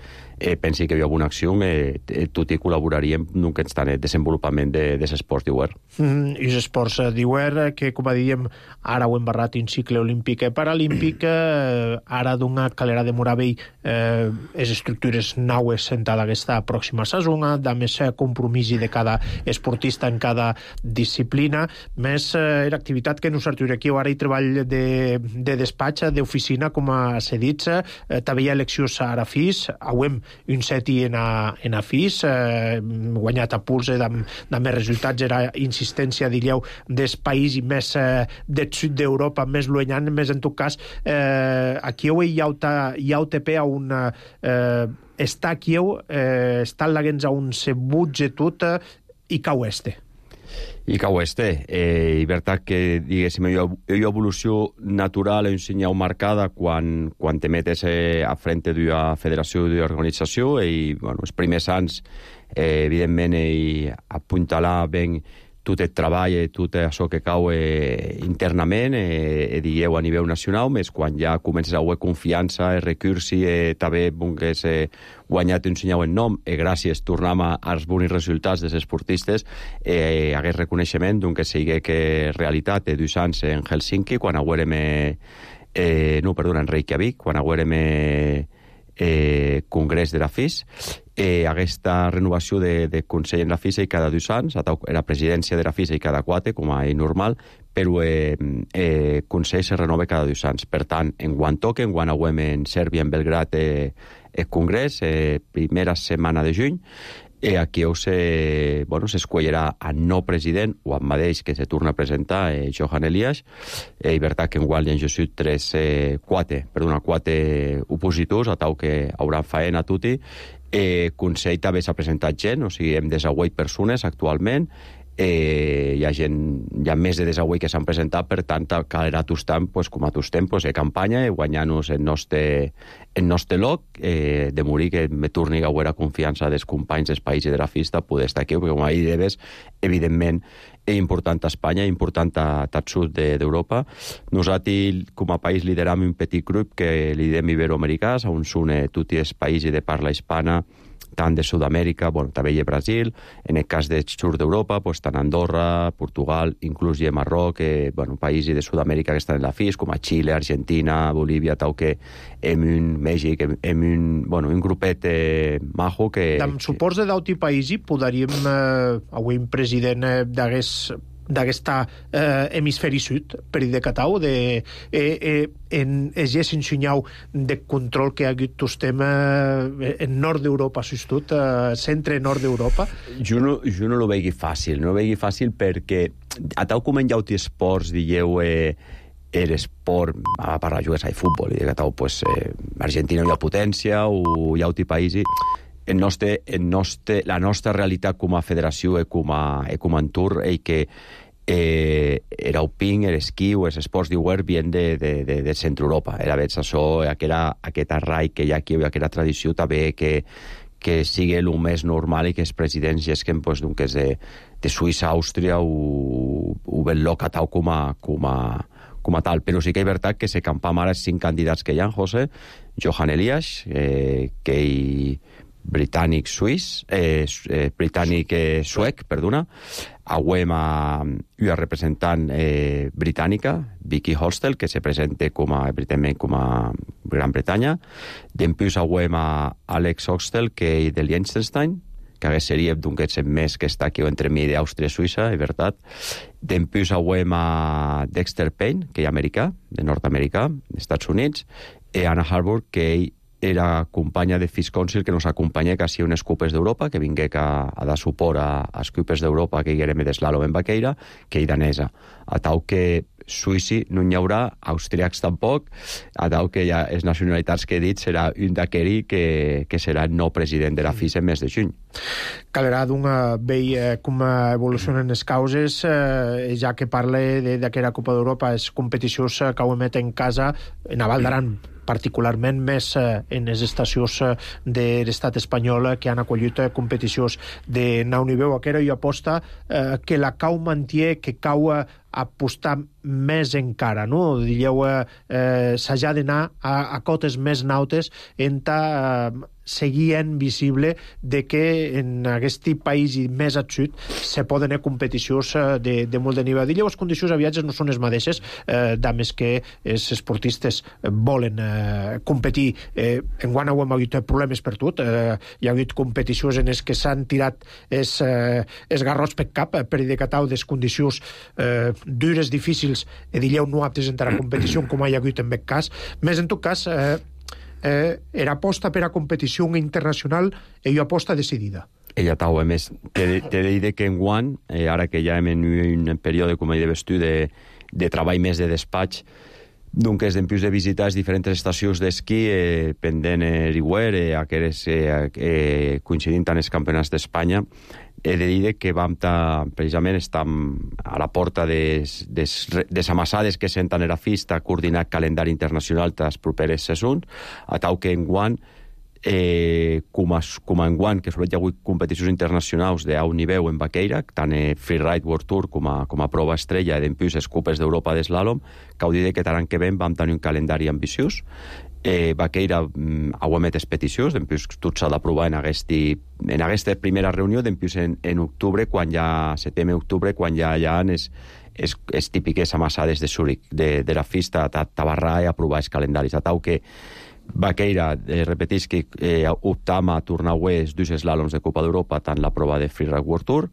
eh, pensi que hi ha alguna acció, eh, tot i col·laboraríem en el desenvolupament de, de esports d'hivern. Mm, I els esports d'hivern, que com dèiem, ara ho hem barrat un cicle olímpic i paralímpic, eh, ara d'una calera de Moravell, eh, les estructures naues sentada aquesta pròxima saison, de més compromís de cada esportista en cada disciplina, més eh, l'activitat que nosaltres aquí ara hi treball de, de despatx, d'oficina, com s'ha dit, eh, també hi ha eleccions a Arafís, avui un seti en a, en a FIS, eh, guanyat a puls eh, amb, amb més resultats, era insistència, diríeu, del país i més eh, del sud d'Europa, més llunyant, més en tot cas, eh, aquí hi ha, hi ha U T P a un eh, està aquí, eh, està laguens a un se butge tot eh, i cau este. I cau este. Eh, I veritat que, diguéssim, hi ha una evolució natural i un senyal marcada quan, quan te metes eh, a frente d'una federació d'una organització i, bueno, els primers anys, eh, evidentment, eh, apuntalar ben tot el treball i tot això que cau eh, internament, eh, digueu, a nivell nacional, més quan ja comences a haver confiança, recursi, eh, també que és eh, guanyat un senyal en nom, i gràcies tornem als bons resultats dels esportistes, eh, hagués reconeixement d'un que sigui que realitat de dos anys en Helsinki, quan haguérem, eh, eh, no, perdona, en Reykjavik, quan haguérem eh, eh, congrés de la FIS, eh, aquesta renovació de, de Consell en la FISA i cada dos anys, la presidència de la FISA i cada quatre, com a normal, però eh, eh, Consell se renova cada dos anys. Per tant, en quan toque, en quan haguem en Sèrbia, en Belgrat, eh, el congrés, eh, primera setmana de juny, eh, aquí se, bueno, s'escollirà a nou president, o amb mateix que se torna a presentar eh, Johan Elias, eh, i veritat que en qual hi ha just tres, eh, quatre, perdona, quatre opositors, a tal que hauran faena a tutti. Eh, Consell també s'ha presentat gent, o sigui, hem desaguait persones actualment, Eh, hi ha gent, hi ha més de desavui que s'han presentat, per tant calerà tostant, pues, com a tostem, pues, de campanya i guanyar-nos el nostre, el nostre loc, eh, de morir que me torni a veure confiança dels companys dels països de la festa poder estar aquí, perquè com ahir debes, evidentment és important a Espanya, important a tot sud d'Europa. Nosaltres, com a país, lideram un petit grup que li diem iberoamericans, on s'une tots els països de parla hispana, tant de Sud-amèrica, bueno, també hi ha Brasil, en el cas de sud d'Europa, pues, tant Andorra, Portugal, inclús hi ha Marroc, eh, bueno, països de Sud-amèrica que estan en la F I S, com a Xile, Argentina, Bolívia, tal que hem un Mèxic, hem un, bueno, un grupet eh, majo que... Amb suports de d'auti païsi podríem, eh, avui un president eh, d'hagués d'aquesta eh, hemisferi sud, per dir de Catau, de, eh, eh, en egés ensenyau de control que ha hagut tostem eh, en nord d'Europa, sostut, eh, centre-nord d'Europa? Jo no, jo no lo vegi fàcil, no lo vegi fàcil perquè a tal com en llauti esports, dieu, eh, l'esport, a parlar jugues a futbol, i de Catau, pues, eh, Argentina hi ha potència, o llauti païsi, el nostre, el nostre, la nostra realitat com a federació i com a, i com a entorn és que eh, el alpin, l'esquí o els esports d'hivern vien de, de, de, de Centre-Europa. Era veig això, aquella, aquest arraic que hi ha aquí, aquella tradició també que, que sigui el més normal i que els presidents gesquen pues, doncs, de, de Suïssa, Àustria o, o ben locatau com a, com a, com a tal. Però sí que és veritat que se campam ara els cinc candidats que hi ha, José, Johan Elias, eh, que hi britànic suís, eh, eh, britànic eh, suec, perdona, auem a una representant eh, britànica, Vicky Hostel, que se presenta com a, evidentment, com a Gran Bretanya. Dempús auem a Alex Hostel, que és de Liechtenstein, que hagués seria d'un que és més que està aquí entre mi d'Àustria i Suïssa, és veritat. Dempús auem a Dexter Payne, que és americà, de nord-americà, dels Estats Units, i Anna Harbour, que ell era companya de F I S Council que nos acompanya quasi a unes Cupes d'Europa, que vingué a, a dar suport a, a les Cupes d'Europa que hi érem d'eslàlom en vaqueira, que hi danesa. A tau que suïci no n'hi haurà, austríacs tampoc, a tau que ja les nacionalitats que he dit serà un d'aqueri que, que serà el nou president de la F I S en mes de juny. Calerà d'una vei eh, com evolucionen les causes, eh, ja que parla d'aquella Copa d'Europa, les competicions que ho emet en casa, en Val d'Aran, particularment més eh, en les estacions eh, de l'estat espanyol eh, que han acollit eh, competicions de nau nivell. Aquera i aposta eh, que la cau manté, que cau eh, apostar més encara, no? Dieu, eh, s'ha d'anar a, a cotes més nautes en ta eh, seguint visible de que en aquest país i més al sud se poden haver competicions de, de molt de nivell. Dieu, les condicions a viatges no són les mateixes, eh, dames que els esportistes volen eh, competir. Eh, enguany ho hem hagut problemes per tot. Eh, hi ha hagut competicions en les que s'han tirat els eh, garrots per cap, per dir de Catau, des condicions eh, dures, difícils, i dieu no aptes a entrar a competició, com hi ha hagut en aquest cas. Més en tot cas, eh, eh, era aposta per a competició internacional i una aposta decidida. Ella tau, a més, te, te de que en guany, eh, ara que ja hem en un període, com he de vestir, de, de treball més de despatx, doncs és d'empius de visitar les diferents estacions d'esquí eh, pendent l'Iguer, eh, aquelles eh, eh, coincidint amb els campionats d'Espanya. He de dir que vam ta, precisament estem a la porta des, des, des amassades que senten a la fista coordinat calendari internacional dels properes sessions, a tau que en guany eh, com, a, com a enguany, que sobretot hi ha hagut competicions internacionals d'alt nivell en vaqueira, tant a Freeride World Tour com a, com a prova estrella d'empius les Cupes d'Europa d'eslàlom, que ho diré que l'any que ven vam tenir un calendari ambiciós. Eh, vaqueira mm, ho emet les peticions, d'empius tot s'ha d'aprovar en, aquesta, en aquesta primera reunió, d'empius en, en octubre, quan ja, setembre-octubre, quan ja hi ha les, les, les típiques amassades de Zúrich, de, de la fista, a tabarrar i aprovar els calendaris. A tau que vaqueira, eh, repeteix que eh, optam a tornar a els dos eslàloms de Copa d'Europa, tant la prova de Freeride World Tour.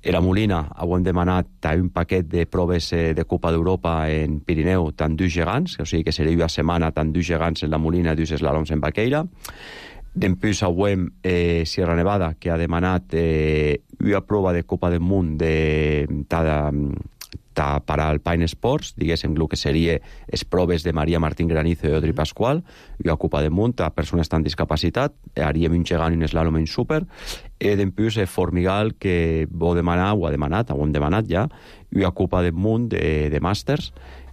A la Molina ho hem demanat un paquet de proves de Copa d'Europa en Pirineu, tant dos gegants, o sigui que seria una setmana tant dos gegants en la Molina i dos eslàloms en vaqueira. Dempús hem eh, Sierra Nevada, que ha demanat eh, una prova de Copa del Món de, de, ta para Alpine Sports, diguéssim, el que seria les proves de Maria Martín Granizo i Audrey Pascual, i a Copa de Munt a persones amb discapacitat, haríem un gegant i un slalom en súper, i després Formigal, que ho demanar, ho ha demanat, ho hem demanat ja, i a Copa de Munt de, de Màsters,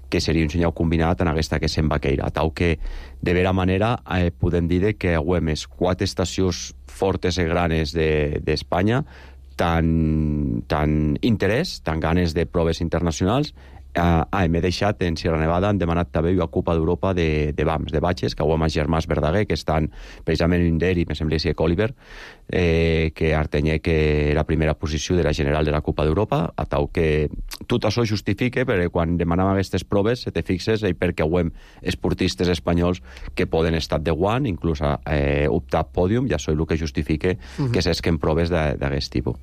que seria un senyal combinat en aquesta que se'n vaqueira. Tau que, de vera manera, eh, podem dir que hem les quatre estacions fortes i granes d'Espanya, de, tant, tant interès, tant ganes de proves internacionals. Uh, ah, m'he deixat en Sierra Nevada, han demanat també una Copa d'Europa de, de B A Ms, de batxes, que ho amb Germàs Verdaguer, que estan precisament en d'ell, i me sembla que Coliver, eh, que Artenyer, que era primera posició de la general de la Copa d'Europa, a tau que tot això justifique, perquè quan demanàvem aquestes proves, se te fixes, i perquè ho hem esportistes espanyols que poden estar de guant, inclús a eh, optar pòdium, ja això és el que justifique uh-huh. que s'esquen proves d'aquest tipus.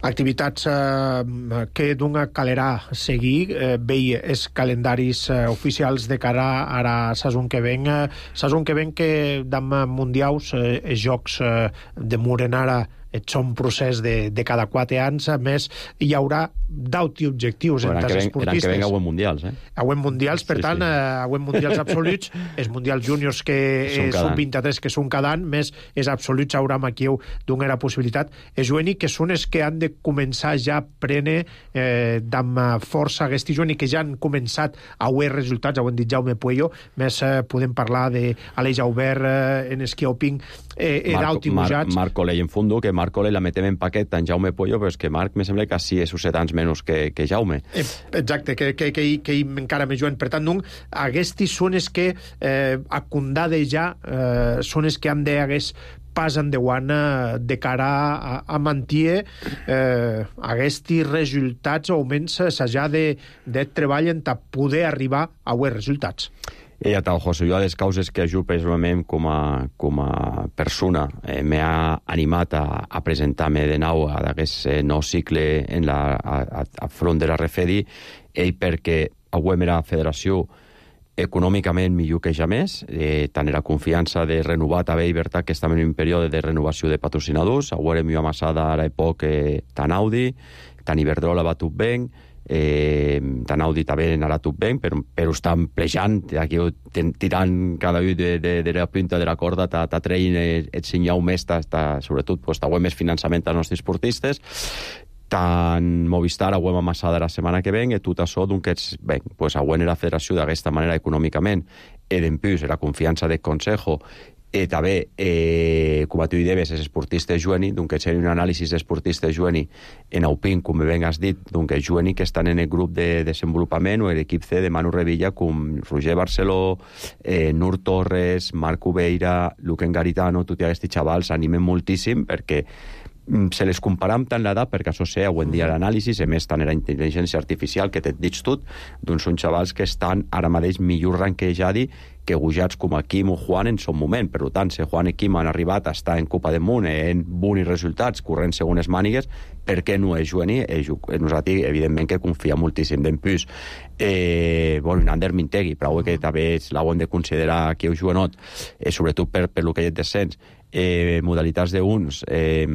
Activitats eh, que d'una calerà seguir, eh, veia els calendaris eh, oficials de cara ara a sasón que ven, eh, sasón que ven que d'am mundials, eh, els jocs eh, de Murenara són un procés de, de cada quatre anys, a més hi haurà d'auti objectius entre els esportistes. Eren que venga a mundials, eh? A mundials, per sí, tant, sí. a mundials absoluts, els mundials júniors que són, eh, són vint-i-tres que són cada any, més els absoluts haurà aquí d'una era possibilitat. És jueni que són els que han de començar ja a prendre eh, d'amb força aquest jueni que ja han començat a veure resultats, ho han dit Jaume Puello, més eh, podem parlar d'Aleix Aubert eh, en esquí alpin, eh, d'auti bujats. Marc Colell en fondo, que Marc Colell la metem en paquet en Jaume Puello, però és que Marc me sembla que sí és set anys menys que, que Jaume. Eh, exacte, que, que, que, que encara més jovent. Per tant, doncs, aquests són els que eh, a condade ja eh, són els que han d'hagués pas endavant eh, de cara a, a mantenir eh, aquests resultats o almenys s'ha de, de treballar per poder arribar a aquests resultats. I ja tal, José, jo a les causes que jo personalment com a, com a persona eh, m'ha animat a, a presentar-me de nou a aquest eh, nou cicle en la, a, a, a front de la Refedi, ell perquè avui era federació econòmicament millor que ja més, eh, tant era confiança de renovar també i veritat que estem en un període de renovació de patrocinadors, avui era millor amassada a l'època eh, tant Audi, tant Iberdrola va tot bé, eh, tant Audi també anarà tot bé, però, però estan plejant, aquí tirant cada un de, de, de la punta de la corda, ta, ta treien el, el senyal més, ta, ta, sobretot, pues, ta més finançament als nostres esportistes, tant Movistar ho hem amassada la setmana que ven, i tot això, doncs, bé, pues, avui era la federació d'aquesta manera econòmicament, i d'empús, la confiança del Consejo, i també, eh, com a tu hi debes, els esportistes jueni, doncs seria un anàlisi d'esportistes jueni en Alpin, com ben has dit, doncs jueni que estan en el grup de desenvolupament o l'equip C de Manu Revilla, com Roger Barceló, eh, Nur Torres, Marc Ubeira, Luquen Garitano, tots aquests xavals animen moltíssim perquè se les comparam tant l'edat, perquè això sé, avui en dia l'anàlisi, a més tant era intel·ligència artificial, que te't dic tot, doncs són xavals que estan ara mateix millor ranquejadi que gujats com a Quim o Juan en son moment. Per tant, si Juan i Quim han arribat a estar en Copa de Munt en bons resultats, corrent segones mànigues, per què no és jueni? Nosaltres, evidentment, que confia moltíssim d'empús. Eh, bueno, Nander Mintegui, però que també l'ho hem de considerar que heu juenot, eh, sobretot per, per el que hi ha descens. Eh, modalitats d'uns, eh,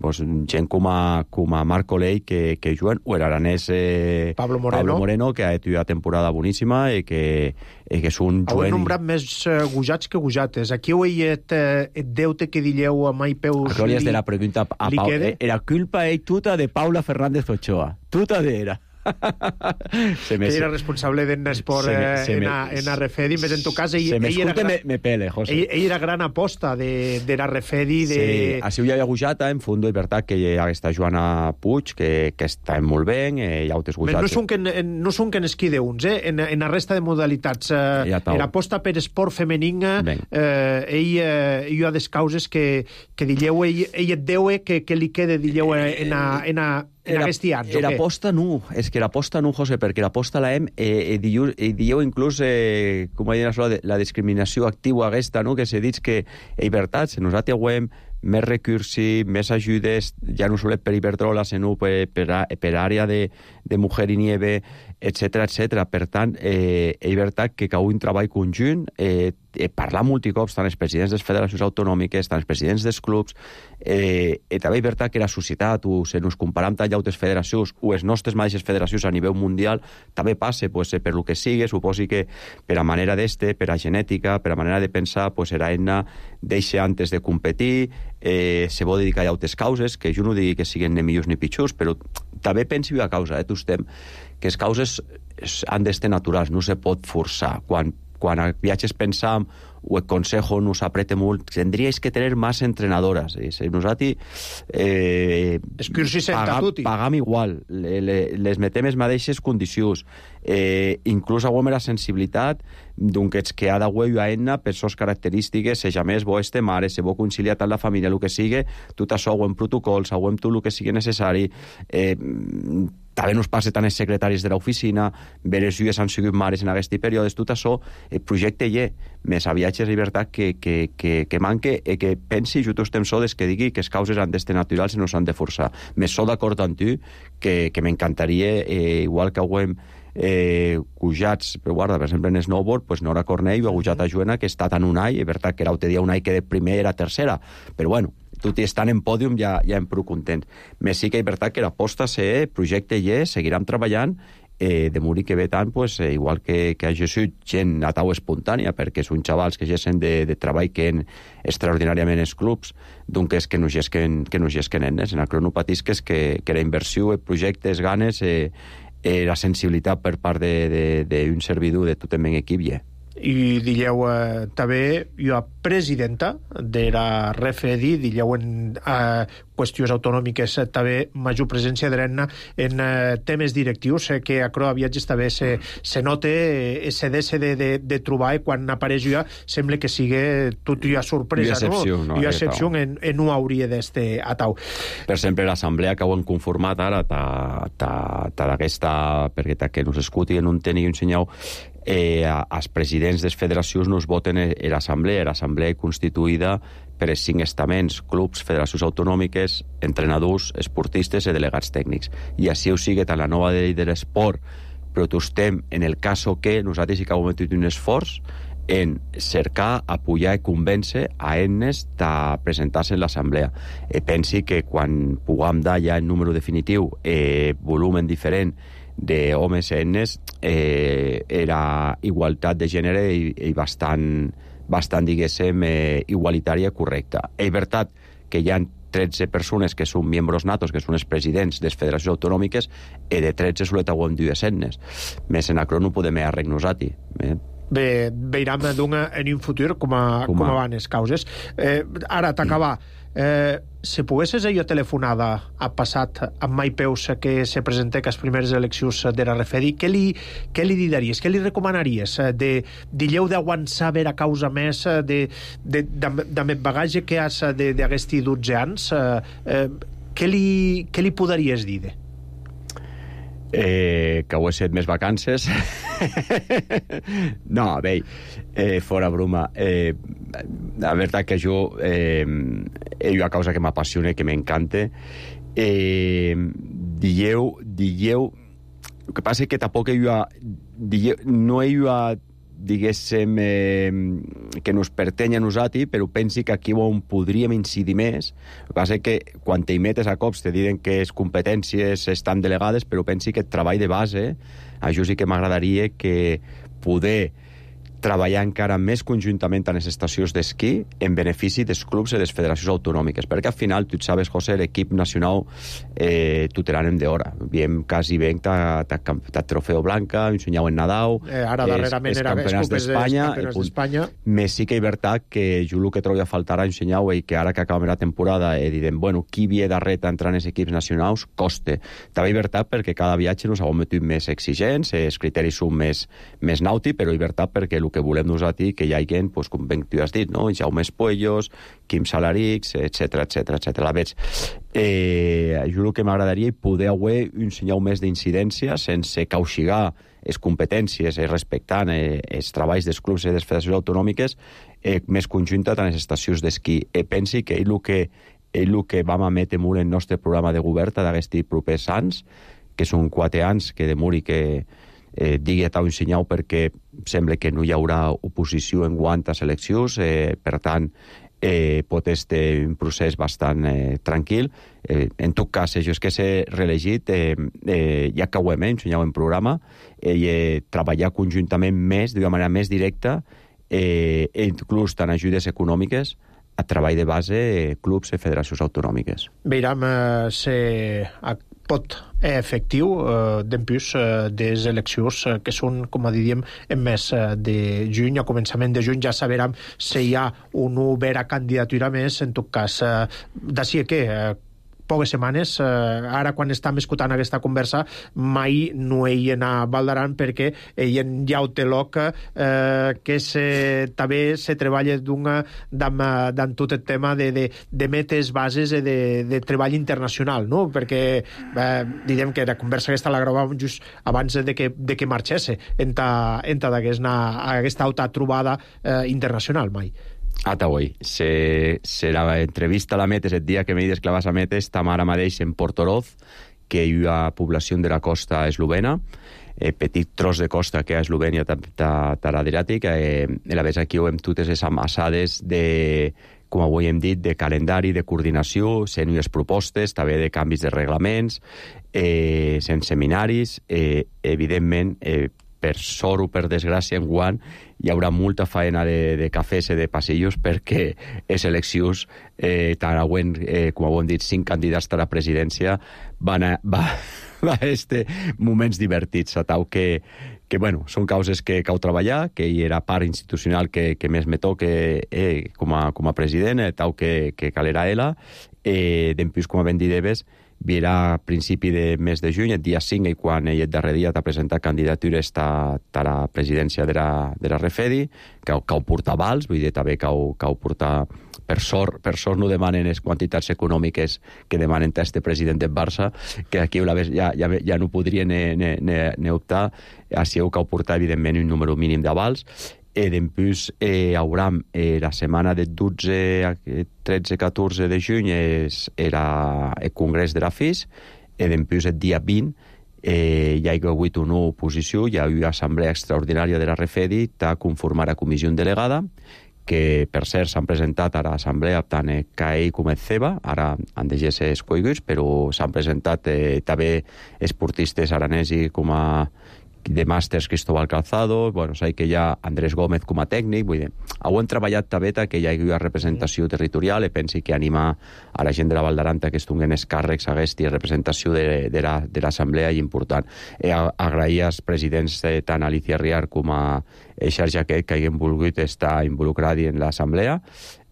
pues, gent com a, com a Marc Colell que, que juguen, o l'aranès eh, Pablo Moreno. Pablo Moreno, que ha tingut una temporada boníssima i que, i que és un juguen... Heu nombrat més uh, gujats que gujates. Aquí heu et, uh, et deute que dilleu a mai peus... A glòries de la pregunta a Pau. Era culpa ell tuta de Paula Fernández Ochoa. Tuta de era. que era responsable d'Ennesport eh, en, a, en a Refedi, més en tot cas ell, se me ell, era gran, me, me pele, José. Ell, ell era gran aposta de, de la Refedi de... Sí, així ho hi havia gujata en fondo, i veritat que hi ha aquesta Joana Puig que, que està molt bé, eh, hi ha altres gujats. No són que en, no són que en esquí d'uns, eh? en, en la resta de modalitats eh, ja era aposta per esport femení, eh, ell, eh, ell ha des causes que, que dilleu, ell, ell et deu que, que li quede dilleu en a, en a en aquest any, era aposta no, és que l'aposta no, José, perquè l'aposta la hem, eh, eh, diu, eh, diu inclús, eh, com ha dit la, la discriminació activa aquesta, no?, que s'ha dit que, és veritat, nosaltres ho hem més recursi, més ajudes, ja no solet per Iberdrola, sinó per, per, per àrea de, de Mujer i Nieve, etcètera, etcètera. Per tant, eh, és veritat que cau un treball conjunt, eh, eh, parlar multicops, tant els presidents de les federacions autonòmiques, tant els presidents dels clubs, eh, eh, també és veritat que la societat, o si ens comparem tant altres federacions, o les nostres mateixes federacions a nivell mundial, també passa, pues, per lo que sigui, suposi que per a manera d'este, per a genètica, per a manera de pensar, pues, era eina deixa antes de competir, eh, se vol dedicar a altres causes, que jo no digui que siguin ni millors ni pitjors, però també pensi a causa, eh, tu estem, que les causes han d'estar naturals, no se pot forçar. Quan, quan a viatges pensam, o el consejo nos aprete molt, tendríais que tenir més entrenadores. I si nosaltres eh, pagam, pagam igual, le, le, les metem les mateixes condicions, eh, inclús aguem la sensibilitat d'un que ets que ha d'agüeu a eina per sos característiques, se jamés bo este mare, se bo conciliar tant la família, el que sigui, tot això aguem protocols, aguem tot el que sigui necessari, eh, també nos passa tant els secretaris de l'oficina, veres lluies han sigut mares en aquests períodes, tot això, el projecte hi és, més a viatges de llibertat que, que, que, que manque, i que pensi, jo tots estem sodes, que digui que les causes han d'estar naturals i no s'han de forçar. Més sóc d'acord amb tu, que, que m'encantaria, eh, igual que aguem eh, cujats, però guarda, per exemple, en snowboard, pues Nora Cornell ha gujat a Joana, que està tant un any, és veritat que era un dia un any que de primer era tercera, però bueno, tot i estant en pòdium ja, ja em prou contents. Més sí que és veritat que l'aposta se projecte i és, seguirem treballant, eh, de morir que ve tant, pues, eh, igual que, que hagi sigut gent a tau espontània, perquè són xavals que gessen de, de treball que en extraordinàriament els clubs, d'un que és que no gesquen, que no gesquen enes. En el crono patisques que, que la inversió, el projecte, les ganes, eh, eh, la sensibilitat per part d'un servidor de tot el meu equip, ja. I dilleu eh, també jo presidenta de la R F E D I, dilleu en eh, qüestions autonòmiques eh, també major presència de l'Enna en eh, temes directius, eh, que a Croa Viatges també se, se note eh, se dese de, de, de trobar, i quan apareix ja sembla que sigui tot ja sorpresa, I excepció, no? no? I excepció en, en no hauria d'este atau. Per exemple, l'assemblea que ho han conformat ara ta, ta, ta d'aquesta, perquè ta que nos escuti en un teni un senyal, eh, els presidents de les federacions no es voten a l'assemblea, l'assemblea constituïda per els cinc estaments, clubs, federacions autonòmiques, entrenadors, esportistes i delegats tècnics. I així ho sigue tant la nova llei de l'esport, però tu estem en el cas que nosaltres sí que hem fet un esforç en cercar, apoyar i convèncer a ennes de presentar-se en l'assemblea. Eh, pensi que quan puguem dar ja el número definitiu, eh, volumen diferent d'homes i ennes, eh, era igualtat de gènere i, i bastant, bastant diguéssim, eh, igualitària correcta. És veritat que hi ha tretze persones que són membres natos, que són els presidents de les federacions autonòmiques, i de tretze solet aguam dues ennes. Més en acro no podem arregnar-nos-hi. Eh? Bé, veurem en un futur com, a, com, com van les causes. Eh, ara, t'acabar, eh, si poguessis jo telefonada a passat amb Mai Peus que se presenta que les primeres eleccions de la R F E D I, què li, què li diries, què li recomanaries? De, dilleu d'aguançar a veure causa més de, de, de, de més bagatge que has d'aquests dotze anys, eh, què, li, què li podries dir? Eh, que ho he set més vacances. No, bé, eh, fora broma. Eh, la veritat que jo eh, hi ha una causa que m'apassiona, que m'encanta. Eh, dilleu, dilleu, el que passa és que tampoc hi ha, dilleu, no hi ha, diguéssim, eh, que nos pertany a nosaltres, però pensi que aquí on podríem incidir més. El que passa és que quan t'hi metes a cops te diuen que les competències estan delegades, però pensi que el treball de base, a jo sí que m'agradaria que poder treballar encara més conjuntament en les estacions d'esquí en benefici dels clubs i de les federacions autonòmiques, perquè al final, tu sabes, José, l'equip nacional eh, tot l'anem d'hora. Viem quasi ben ta Trofeo Blanca, un senyau en Nadal, eh, ara darrerament els, els era campionats d'Espanya, d'Espanya. Més sí que és veritat que jo el que trobo a faltar un senyau i que ara que acabem la temporada he dit, bueno, qui ve darrere entrar en els equips nacionals coste. També és veritat perquè cada viatge nos hem metut més exigents, els criteris són més, més nauti, però és veritat perquè el que volem nosaltres que hi ha gent, pues, com ben tu has dit, no? Jaume Espuellos, Quim Salarix, etcètera, etcètera, etcètera. Veig, eh, jo el que m'agradaria és poder haver un senyal més d'incidència sense cauxigar les competències, eh, respectant eh, els treballs dels clubs i de les federacions autonòmiques, eh, més conjunta amb les estacions d'esquí. E pensi que ell el que, ell el que vam emetre molt en el nostre programa de govern d'aquests propers anys, que són quatre anys que demori que eh, digui a un senyal perquè sembla que no hi haurà oposició en quant a eleccions, eh, per tant, eh, pot ser un procés bastant eh, tranquil. Eh, en tot cas, jo és que s'he reelegit, eh, eh, ja que ho hem ensenyat en programa, eh, eh, treballar conjuntament més, d'una manera més directa, eh, inclús tant ajudes econòmiques, a treball de base, eh, clubs i federacions autonòmiques. Veurem eh, si pot efectiu eh, d'empús eh, des eleccions eh, que són, com a diríem, en mes eh, de juny. A començament de juny ja saberem si hi ha una vera candidatura més. En tot cas, eh, d'ací que eh, poques setmanes, eh, ara quan estem escoltant aquesta conversa, mai no hi a Val d'Aran perquè hi ha un teloc eh, que se, també se treballa d'una d'en tot el tema de, de, de metes bases de, de treball internacional, no? Perquè eh, direm que la conversa aquesta la gravàvem just abans de que, de que marxés en ta, en ta aquesta altra trobada eh, internacional mai. Ata avui. Se, se la entrevista a la Metes el dia que m'he desclavat a Metes estem ara mateix en Portoroz, que hi ha població de la costa eslovena, eh, petit tros de costa que hi ha a Eslovènia de l'Adriàtic, eh, a la vegada aquí ho hem totes les amassades de, com avui hem dit, de calendari, de coordinació, sent unes propostes, també de canvis de reglaments, eh, sent seminaris, eh, evidentment, eh, per sort o per desgràcia, en guant hi haurà molta faena de, de cafès i de passillos perquè les eleccions, eh, tant avui, eh, com ho hem dit, cinc candidats a la presidència, van a, va, va a este moments divertits, a tau que, que bueno, són causes que cau treballar, que hi era part institucional que, que més me toque eh, com, a, com a president, eh, tau que, que calera ela, eh, d'empús, com a ben dideves, virà a principi de mes de juny, el dia cinc, i quan ell el darrer dia t'ha presentat candidatures a la presidència de la, de la Refedi, que cau portar vals, vull dir, també cau, cau portar... Per sort, per sort no demanen les quantitats econòmiques que demanen este president del Barça, que aquí ja, ja, ja no podrien ne, ne, ne optar, així heu cau portar, evidentment, un número mínim de vals. E d'empús eh, haurà eh, la setmana del dotze, tretze, catorze de juny és, era el congrés de la F I S, e d'empús el dia vint eh, hi ha hagut una oposició, hi ha una assemblea extraordinària de la Refedi a conformar la comissió delegada, que per cert s'han presentat a l'assemblea tant el C A E com el C E B A, ara han de ser escoiguts, però s'han presentat eh, també esportistes aranesi com a de màsters Cristóbal Calzado, bueno, sé que hi ha Andrés Gómez com a tècnic, vull dir, ho hem treballat també que hi hagi una representació territorial, i pensi que animar a la gent de la Val d'Aran que es donguen els càrrecs aquesta representació de, de, la, de l'assemblea i important. E agrair als presidents eh, tant Alicia Riar com a Eixar Jaquet que hagin volgut estar involucrats en l'assemblea.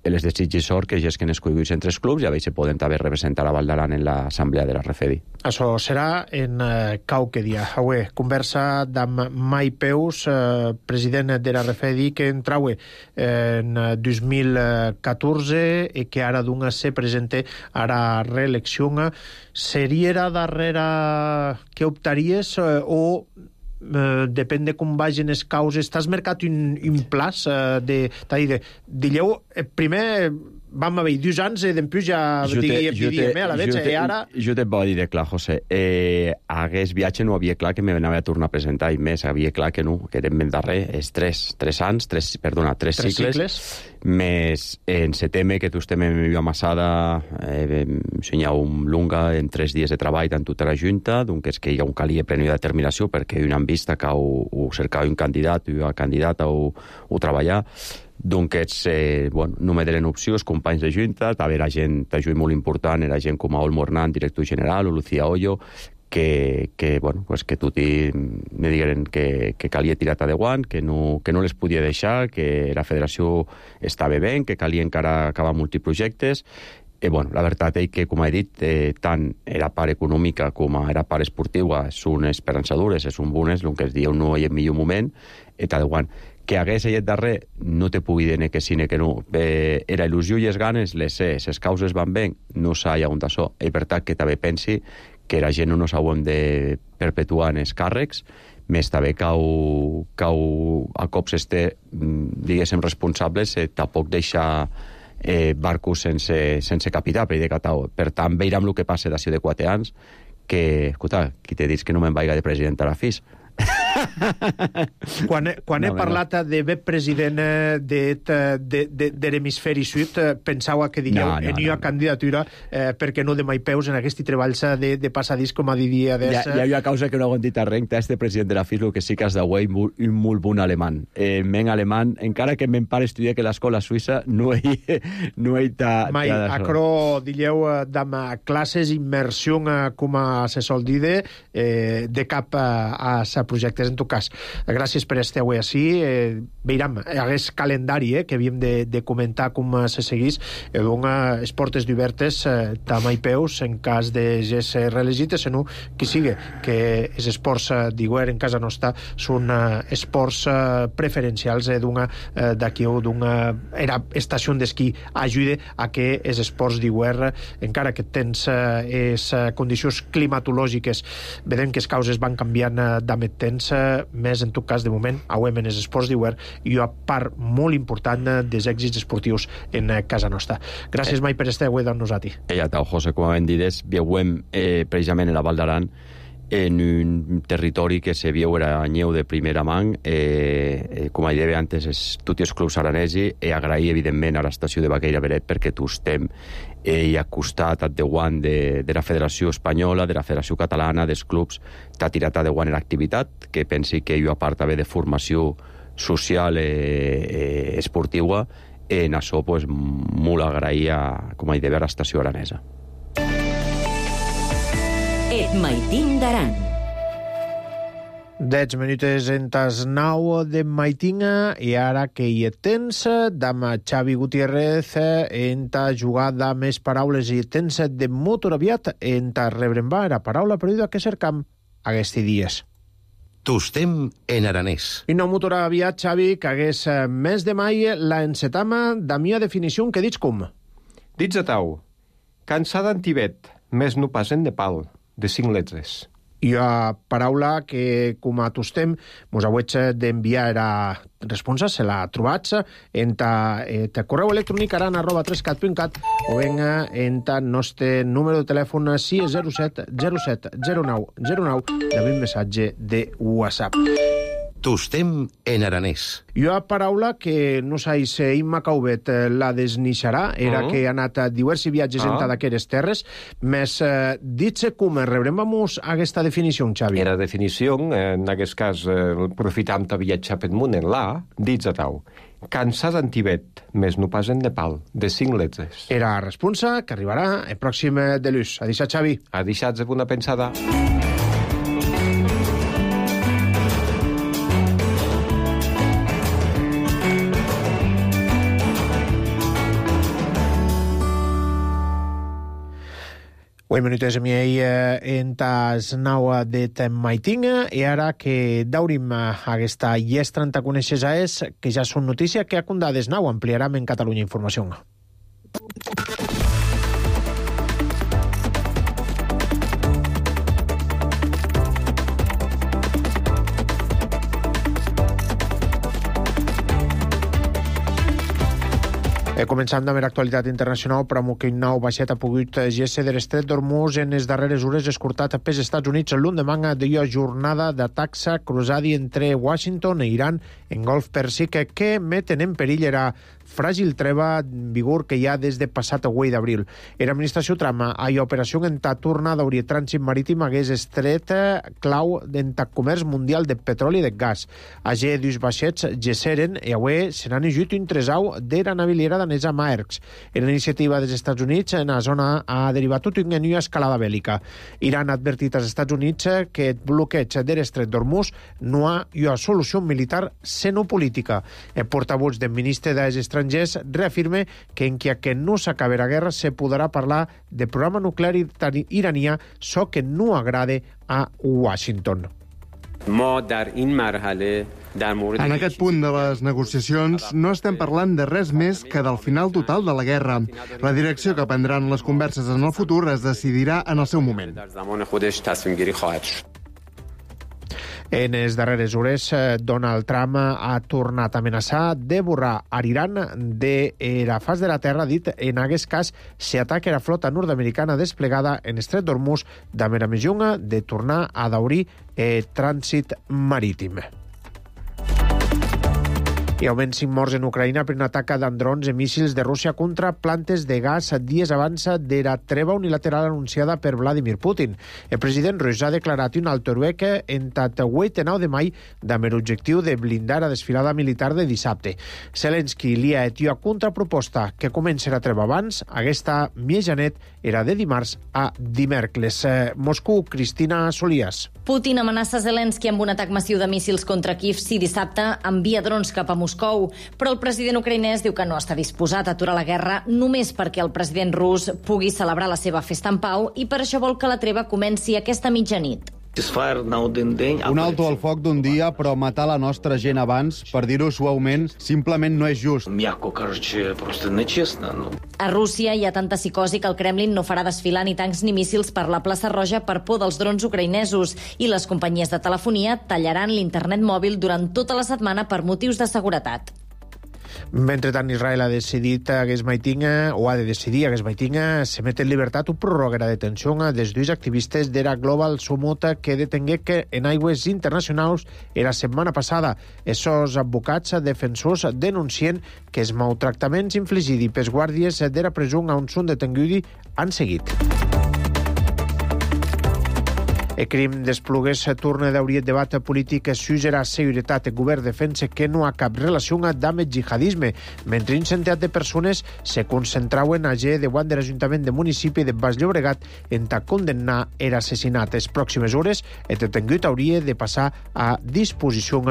Les desitgis sort que ja es que n'escoiguts entre els clubs i a veure si poden també representar a Val d'Aran en l'assemblea de la Refedi. Això serà en eh, qualque dia. Avui, conversa amb Mai Peus, eh, president de la Refedi, que entraue en dos mil catorze i que ara d'un se presenta a la reelecció. Seria la darrera que optaries eh, o Uh, depèn de com vagin les causes. T'has marcat un, un plaç uh, de, de, digueu, primer vam haver dos anys i després ja diguem a la veig i ara... Jo te vaig dir clar, José, eh, hagués viatge no havia clar que m'anava a tornar a presentar i més, havia clar que no, que eren ben darrer, és tres, tres anys, tres, perdona, tres, tres cicles, cicles, més en setembre que tu estem en mi amassada, eh, senyau un lunga en tres dies de treball tant tota la Junta, doncs és que hi ha un calia plena de determinació perquè hi ha una vista que ho, ho cercava un candidat, una candidata o, o treballar. Doncs, eh, bueno, no me deren opcions, companys de Junta, també era gent, també molt important, era gent com a Olmo Hernán, director general, o Lucía Hoyo, que, que, bueno, pues que tutti me digueren que, que calia tirar de guant, que no, que no les podia deixar, que la federació estava bé, que calia encara acabar multiprojectes. I, bueno, la veritat és que, com he dit, eh, tant la part econòmica com la part esportiva són esperançadores, són bones, el que es diu no hi ha millor moment, i tal guant. Que hagués allà darrer, no te pugui dir que sí, que no. Eh, era il·lusió i les ganes, les sé, les causes van bé, no s'ha hi hagut això. I per tant que també pensi que la gent no nos hauem de perpetuar en els càrrecs, més també cau, cau a cops este, diguéssim, responsables, eh, tampoc deixar eh, barcos sense, sense capità, per, per tant, veurem el que passa d'ací de quatre anys, que, escolta, qui te dius que no me'n vaiga de president a la F I S? Quan, he, quan no, he parlat no. de bé president de, de, de, de l'hemisferi sud, pensava que diríeu no, no, en una no, candidatura eh, perquè no de mai peus en aquest treballs de, de passadís com a diria des... Hi ha, hi ha una causa que no aguantita renta este president de la F I S, el que sí que has de guai un molt bon alemany. Eh, men alemany, encara que men pare estudia que l'escola suïssa no hi no hi ta... Mai, acro, diríeu, d'am classes, immersió, com se sol dir, eh, de cap a, a sa projectes. En tot cas, gràcies per estar avui així. Eh, veurem, aquest calendari eh, que havíem de, de comentar com se seguís, eh, dona les portes d'obertes eh, tam i peus en cas de ser reelegit, sinó qui sigui, que els esports eh, d'hivern en casa nostra són eh, esports eh, preferencials eh, d'una eh, d'aquí o d'una era estació d'esquí ajuda a que els esports d'hivern, encara que tens eh, les condicions climatològiques, vedem que les causes van canviant eh, d'amet temps, més en tot cas de moment auem en els esports d'hivern i una part molt important dels èxits esportius en casa nostra. Gràcies eh, mai per estar avui amb nosaltres. Ja tau, José, com hem dit, viuem eh, precisament en la Val d'Aran en un territori que se viu era anyeu de primera mà, eh, eh, com he dit antes, és tots els clubs aranesi, i agrair evidentment a l'estació de Baqueira Beret perquè tu estem eh, i a costat de guant de, de la Federació Espanyola, de la Federació Catalana, dels clubs, t'ha tirat a de guant en l'activitat, que pensi que jo a part també de formació social eh, eh, esportiva, en això pues, molt agrair a, com he dit, a l'estació aranesa. Et maitin d'Aran. Dez minutes en tas nau de maitinga i ara que hi tens d'ama Xavi Gutiérrez en ta jugada més paraules i tens de motor aviat en ta rebrembar la paraula perduda que cercam aquests dies. Tostem en aranès. I no motor aviat, Xavi, que hagués mes de mai la encetama da mia definició que dits com? Dits a tau, cansada en Tibet, més no pas en Nepal, de cinc letres. I a paraula que, com a tostem, mos hauets d'enviar era responsa, se la trobats en ta, eh, ta correu electrònic aran arroba trescat punt cat o venga en ta nostre número de telèfon sis zero set zero set zero nou zero nou de un missatge de WhatsApp. Tostem en aranès. I una paraula que no sais Imma Caubet la desnixarà, era uh -huh. que ha anat a diversos viatges uh -huh. en d'aquestes terres, més eh, dit-se com rebrem-nos aquesta definició, Xavi. Era definició, en aquest cas, eh, aprofitam de viatjar per munt en la, dits a tau. Cansada en Tibet, més no pas en Nepal, de cinc letres. Era responsa que arribarà el pròxim de l'ús. A deixar, Xavi. A deixar de una pensada. Oi minutes a mi en tas naua de maitinga i ara que daurim aquesta llestra en ta coneixes a es que ja són notícia que a condades nau ampliarem en Catalunya Informació. Eh, començant amb l'actualitat internacional, però que un nou vaixet ha pogut gésser de l'estret d'Hormuz en les darreres hores escortat pels Estats Units l'endemà de la jornada d'atacs cruzadi entre Washington i Iran en Golf Pèrsic que meten en perill era fràgil treva en vigor que hi ha des de passat vuit d'abril. L'administració Trump a l'operació en ta tornada d'obrir trànsit marítim hagués estret clau en ta comerç mundial de petroli i de gas. Allà dos vaixets gesseren i avui se n'han ajut un tresau de la naviliera danesa Maersk. En la iniciativa dels Estats Units en la zona ha derivat tot una nova escalada bèl·lica. Iran ha advertit als Estats Units que el bloqueig de l'estret d'Hormuz no ha una solució militar sinó política. El portavoz del ministre dels Estrangers reafirma que en que no s'acabi la guerra se podrà parlar de programa nuclear iranià, so que no agrade a Washington. En aquest punt de les negociacions no estem parlant de res més que del final total de la guerra. La direcció que prendran les converses en el futur es decidirà en el seu moment. En les darreres hores, Donald Trump ha tornat a amenaçar de borrar Iran de la faç de la terra, dit en aquest cas si ataca la flota nord-americana desplegada en Estret d'Hormuz d'Amer a Mejunga de tornar a daurir eh, trànsit marítim. Hi ha almenys cinc morts en Ucraïna per un atac d'androns i míssils de Rússia contra plantes de gas dies abans de la treva unilateral anunciada per Vladimir Putin. El president rus ha declarat un alto heroic entat vuit de nou de maig amb l'objectiu de blindar la desfilada militar de dissabte. Zelensky li ha hetit una contraproposta que comença la treva abans. Aquesta mitjanet era de dimarts a dimèrcoles. Moscou, Cristina Solías. Putin amenaça Zelensky amb un atac massiu de míssils contra Kíev si dissabte envia drons cap a Moscou, però el president ucraïnès diu que no està disposat a aturar la guerra només perquè el president rus pugui celebrar la seva festa en pau i per això vol que la treva comenci aquesta mitjanit. Un alto al foc d'un dia, però matar la nostra gent abans, per dir-ho suaument, simplement no és just. A Rússia hi ha tanta psicosi que el Kremlin no farà desfilar ni tancs ni míssils per la plaça Roja per por dels drons ucraïnesos i les companyies de telefonia tallaran l'internet mòbil durant tota la setmana per motius de seguretat. Mentrestant, Israel ha decidit aquest maitinga, o ha de decidir aquest maitinga, se met en llibertat un prorroga la detenció dels dos activistes de la Global Summit que detengué que en aigües internacionals la setmana passada. Essos advocats defensors denuncien que els maltractaments infligits pels guàrdies de la presó on són detinguts han seguit. El crim d'Esplugues torna a obrir el debat polític sus la seguretat. El govern defensa que no ha cap relació amb el jihadisme, mentre un centenar de persones se concentraven a G davant de l'Ajuntament de municipi de Baix Llobregat en ta condemnar l'assassinat. Les pròximes hores el detingut hauria de passar a disposició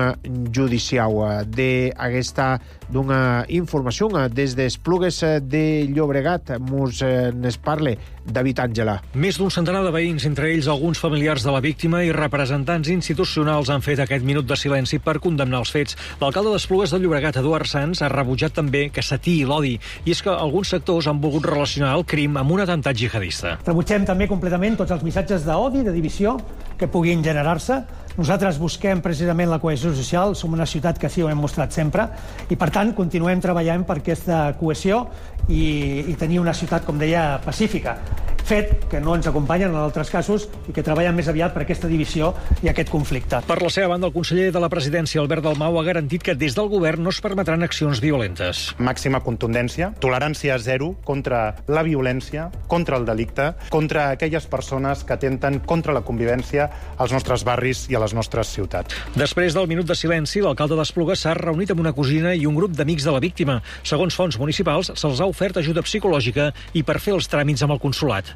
judicial. D'aquesta d'una informació des d'Esplugues de Llobregat mos n'es parle David Àngela. Més d'un centenar de veïns, entre ells alguns familiars de la víctima i representants institucionals han fet aquest minut de silenci per condemnar els fets. L'alcalde d'Esplugues de Llobregat, Eduard Sans, ha rebutjat també que s'atiï l'odi, i és que alguns sectors han volgut relacionar el crim amb un atemptat jihadista. Rebutgem també completament tots els missatges d'odi, de divisió, que puguin generar-se. Nosaltres busquem precisament la cohesió social, som una ciutat que sí ho hem mostrat sempre, i per tant continuem treballant per aquesta cohesió i, i tenir una ciutat, com deia, pacífica. Fet que no ens acompanyen en altres casos i que treballen més aviat per aquesta divisió i aquest conflicte. Per la seva banda, el conseller de la presidència, Albert Dalmau, ha garantit que des del govern no es permetran accions violentes. Màxima contundència, tolerància zero contra la violència, contra el delicte, contra aquelles persones que atenten contra la convivència als nostres barris i a les nostres ciutats. Després del minut de silenci, l'alcalde d'Esplugues s'ha reunit amb una cosina i un grup d'amics de la víctima. Segons fonts municipals, se'ls ha ofert ajuda psicològica i per fer els tràmits amb el consolat.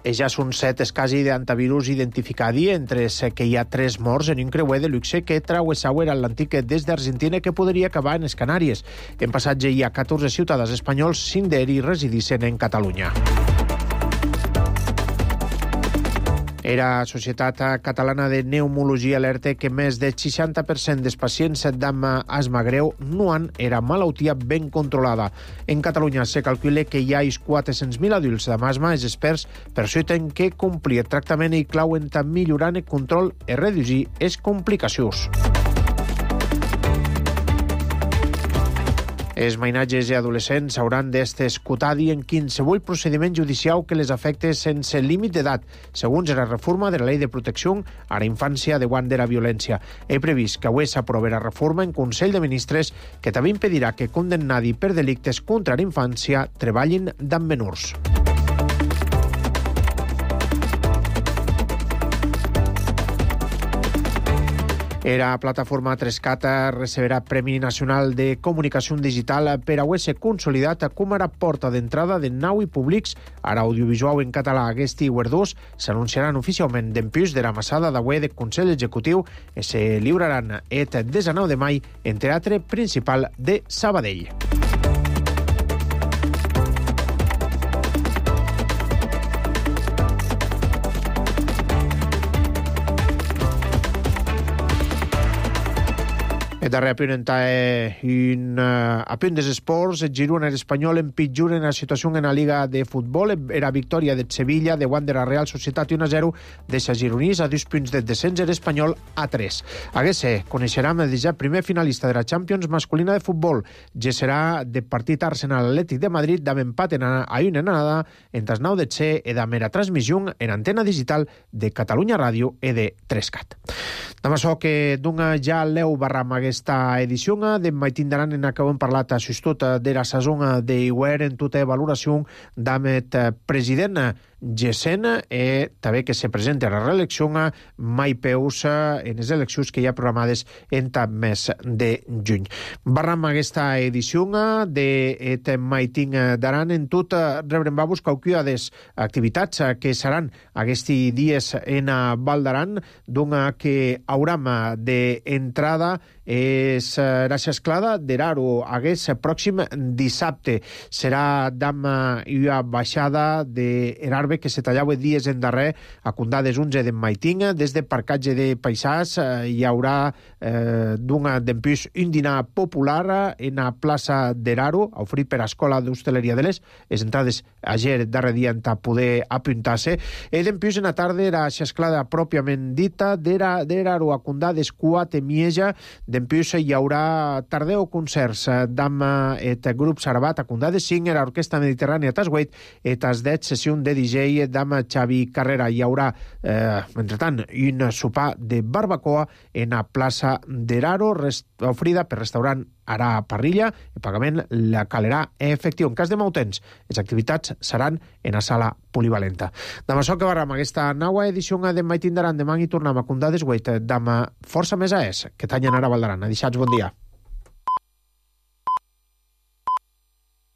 Ja són set els casos d'antivirus identificats, entre els que hi ha tres morts en un creuer de luxe que trau Sauer Atlàntic des d'Argentina que podria acabar en les Canàries. En passatge hi ha catorze ciutadans espanyols, cinc d'ells residissin en Catalunya. Era Societat Catalana de Pneumologia alerta que més del seixanta per cent dels pacients amb asma greu no han era malaltia ben controlada. En Catalunya se calcula que hi ha quatre-cents mil adults amb asma. Els experts per això tenen que complir el tractament i clauen tant millorant el control i reduir les complicacions. Els mainatges i adolescents hauran d'estar escoltats en qualsevol procediment judicial que les afecte sense límit d'edat, segons la reforma de la Llei de Protecció a la Infància davant de la violència. He previst que avui s'aprovarà reforma en Consell de Ministres que també impedirà que condemnats per delictes contra la infància treballin amb menors. La plataforma tres cat receberà Premi Nacional de Comunicació Digital per haver-se consolidat com a porta d'entrada de naus públics a l'audiovisual en català. Aquests guardons s'anunciaran oficialment dempués de la massada d'avui del Consell Executiu i se lliuraran el desenou de maig en Teatre Principal de Sabadell. darrer apunt in apunt des esports, el Girona espanyol empitjora en la situació en la Liga de Futbol. Era victòria de Sevilla, de Wander a Real Societat un a zero, deixa Gironís a dos punts de descens, l'Espanyol a tres. Aguese coneixerem el ja primer finalista de la Champions masculina de futbol. Ja serà de partit Arsenal-Atlètic de Madrid, d'am empat en a una anada entre els nou de C e de mera transmissió en antena digital de Catalunya Ràdio e de tres cat. Demà so que dunga ja l'eu barram aquesta edició de mai tindran en que hem parlat a sustot de la saison d'Iwer en tota valoració d'amet president Gesen e també que se presenta a la reelecció mai peus en les eleccions que hi ha programades en tant mes de juny. Barram aquesta edició d'et mai ting d'aran en tot rebrem babos cauquiades activitats que seran aquests dies en Val d'Aran, donga que hauram d'entrada és la xesclada d'Eraro hagués pròxim dissabte. Serà d'ama i una baixada d'Erarbe que se tallava dies en darrer a Condades onze de Maiting. Des de parcatge de paisàs hi haurà eh, d'una d'empús un dinar popular en la plaça d'Eraro, ofrit per Escola d'Hostaleria de l'Est. Les entrades ayer darrer dia en poder apuntar-se. E d'empús en la tarda la xesclada pròpiament dita d'Eraro a Condades quatre Mieja. D'empús hi haurà tardeu concerts d'am et grup Sarabat a Condades cinc, l'Orquestra Mediterrània Tasgueit et as deu sessió de D J d'am Xavi Carrera. Hi haurà, eh, entretant, un sopar de barbacoa en la plaça d'Eraro, ofrida per restaurant Ara Parrilla. El pagament la calerà efectiu. En cas de mautens, les activitats seran en la sala polivalenta. Demà so que barram aquesta nova edició de Mai Tindaran. Demà hi tornem a Condades Gueit d'am força més a es, que tanyen ara Val d'Aran. Adixats, bon dia.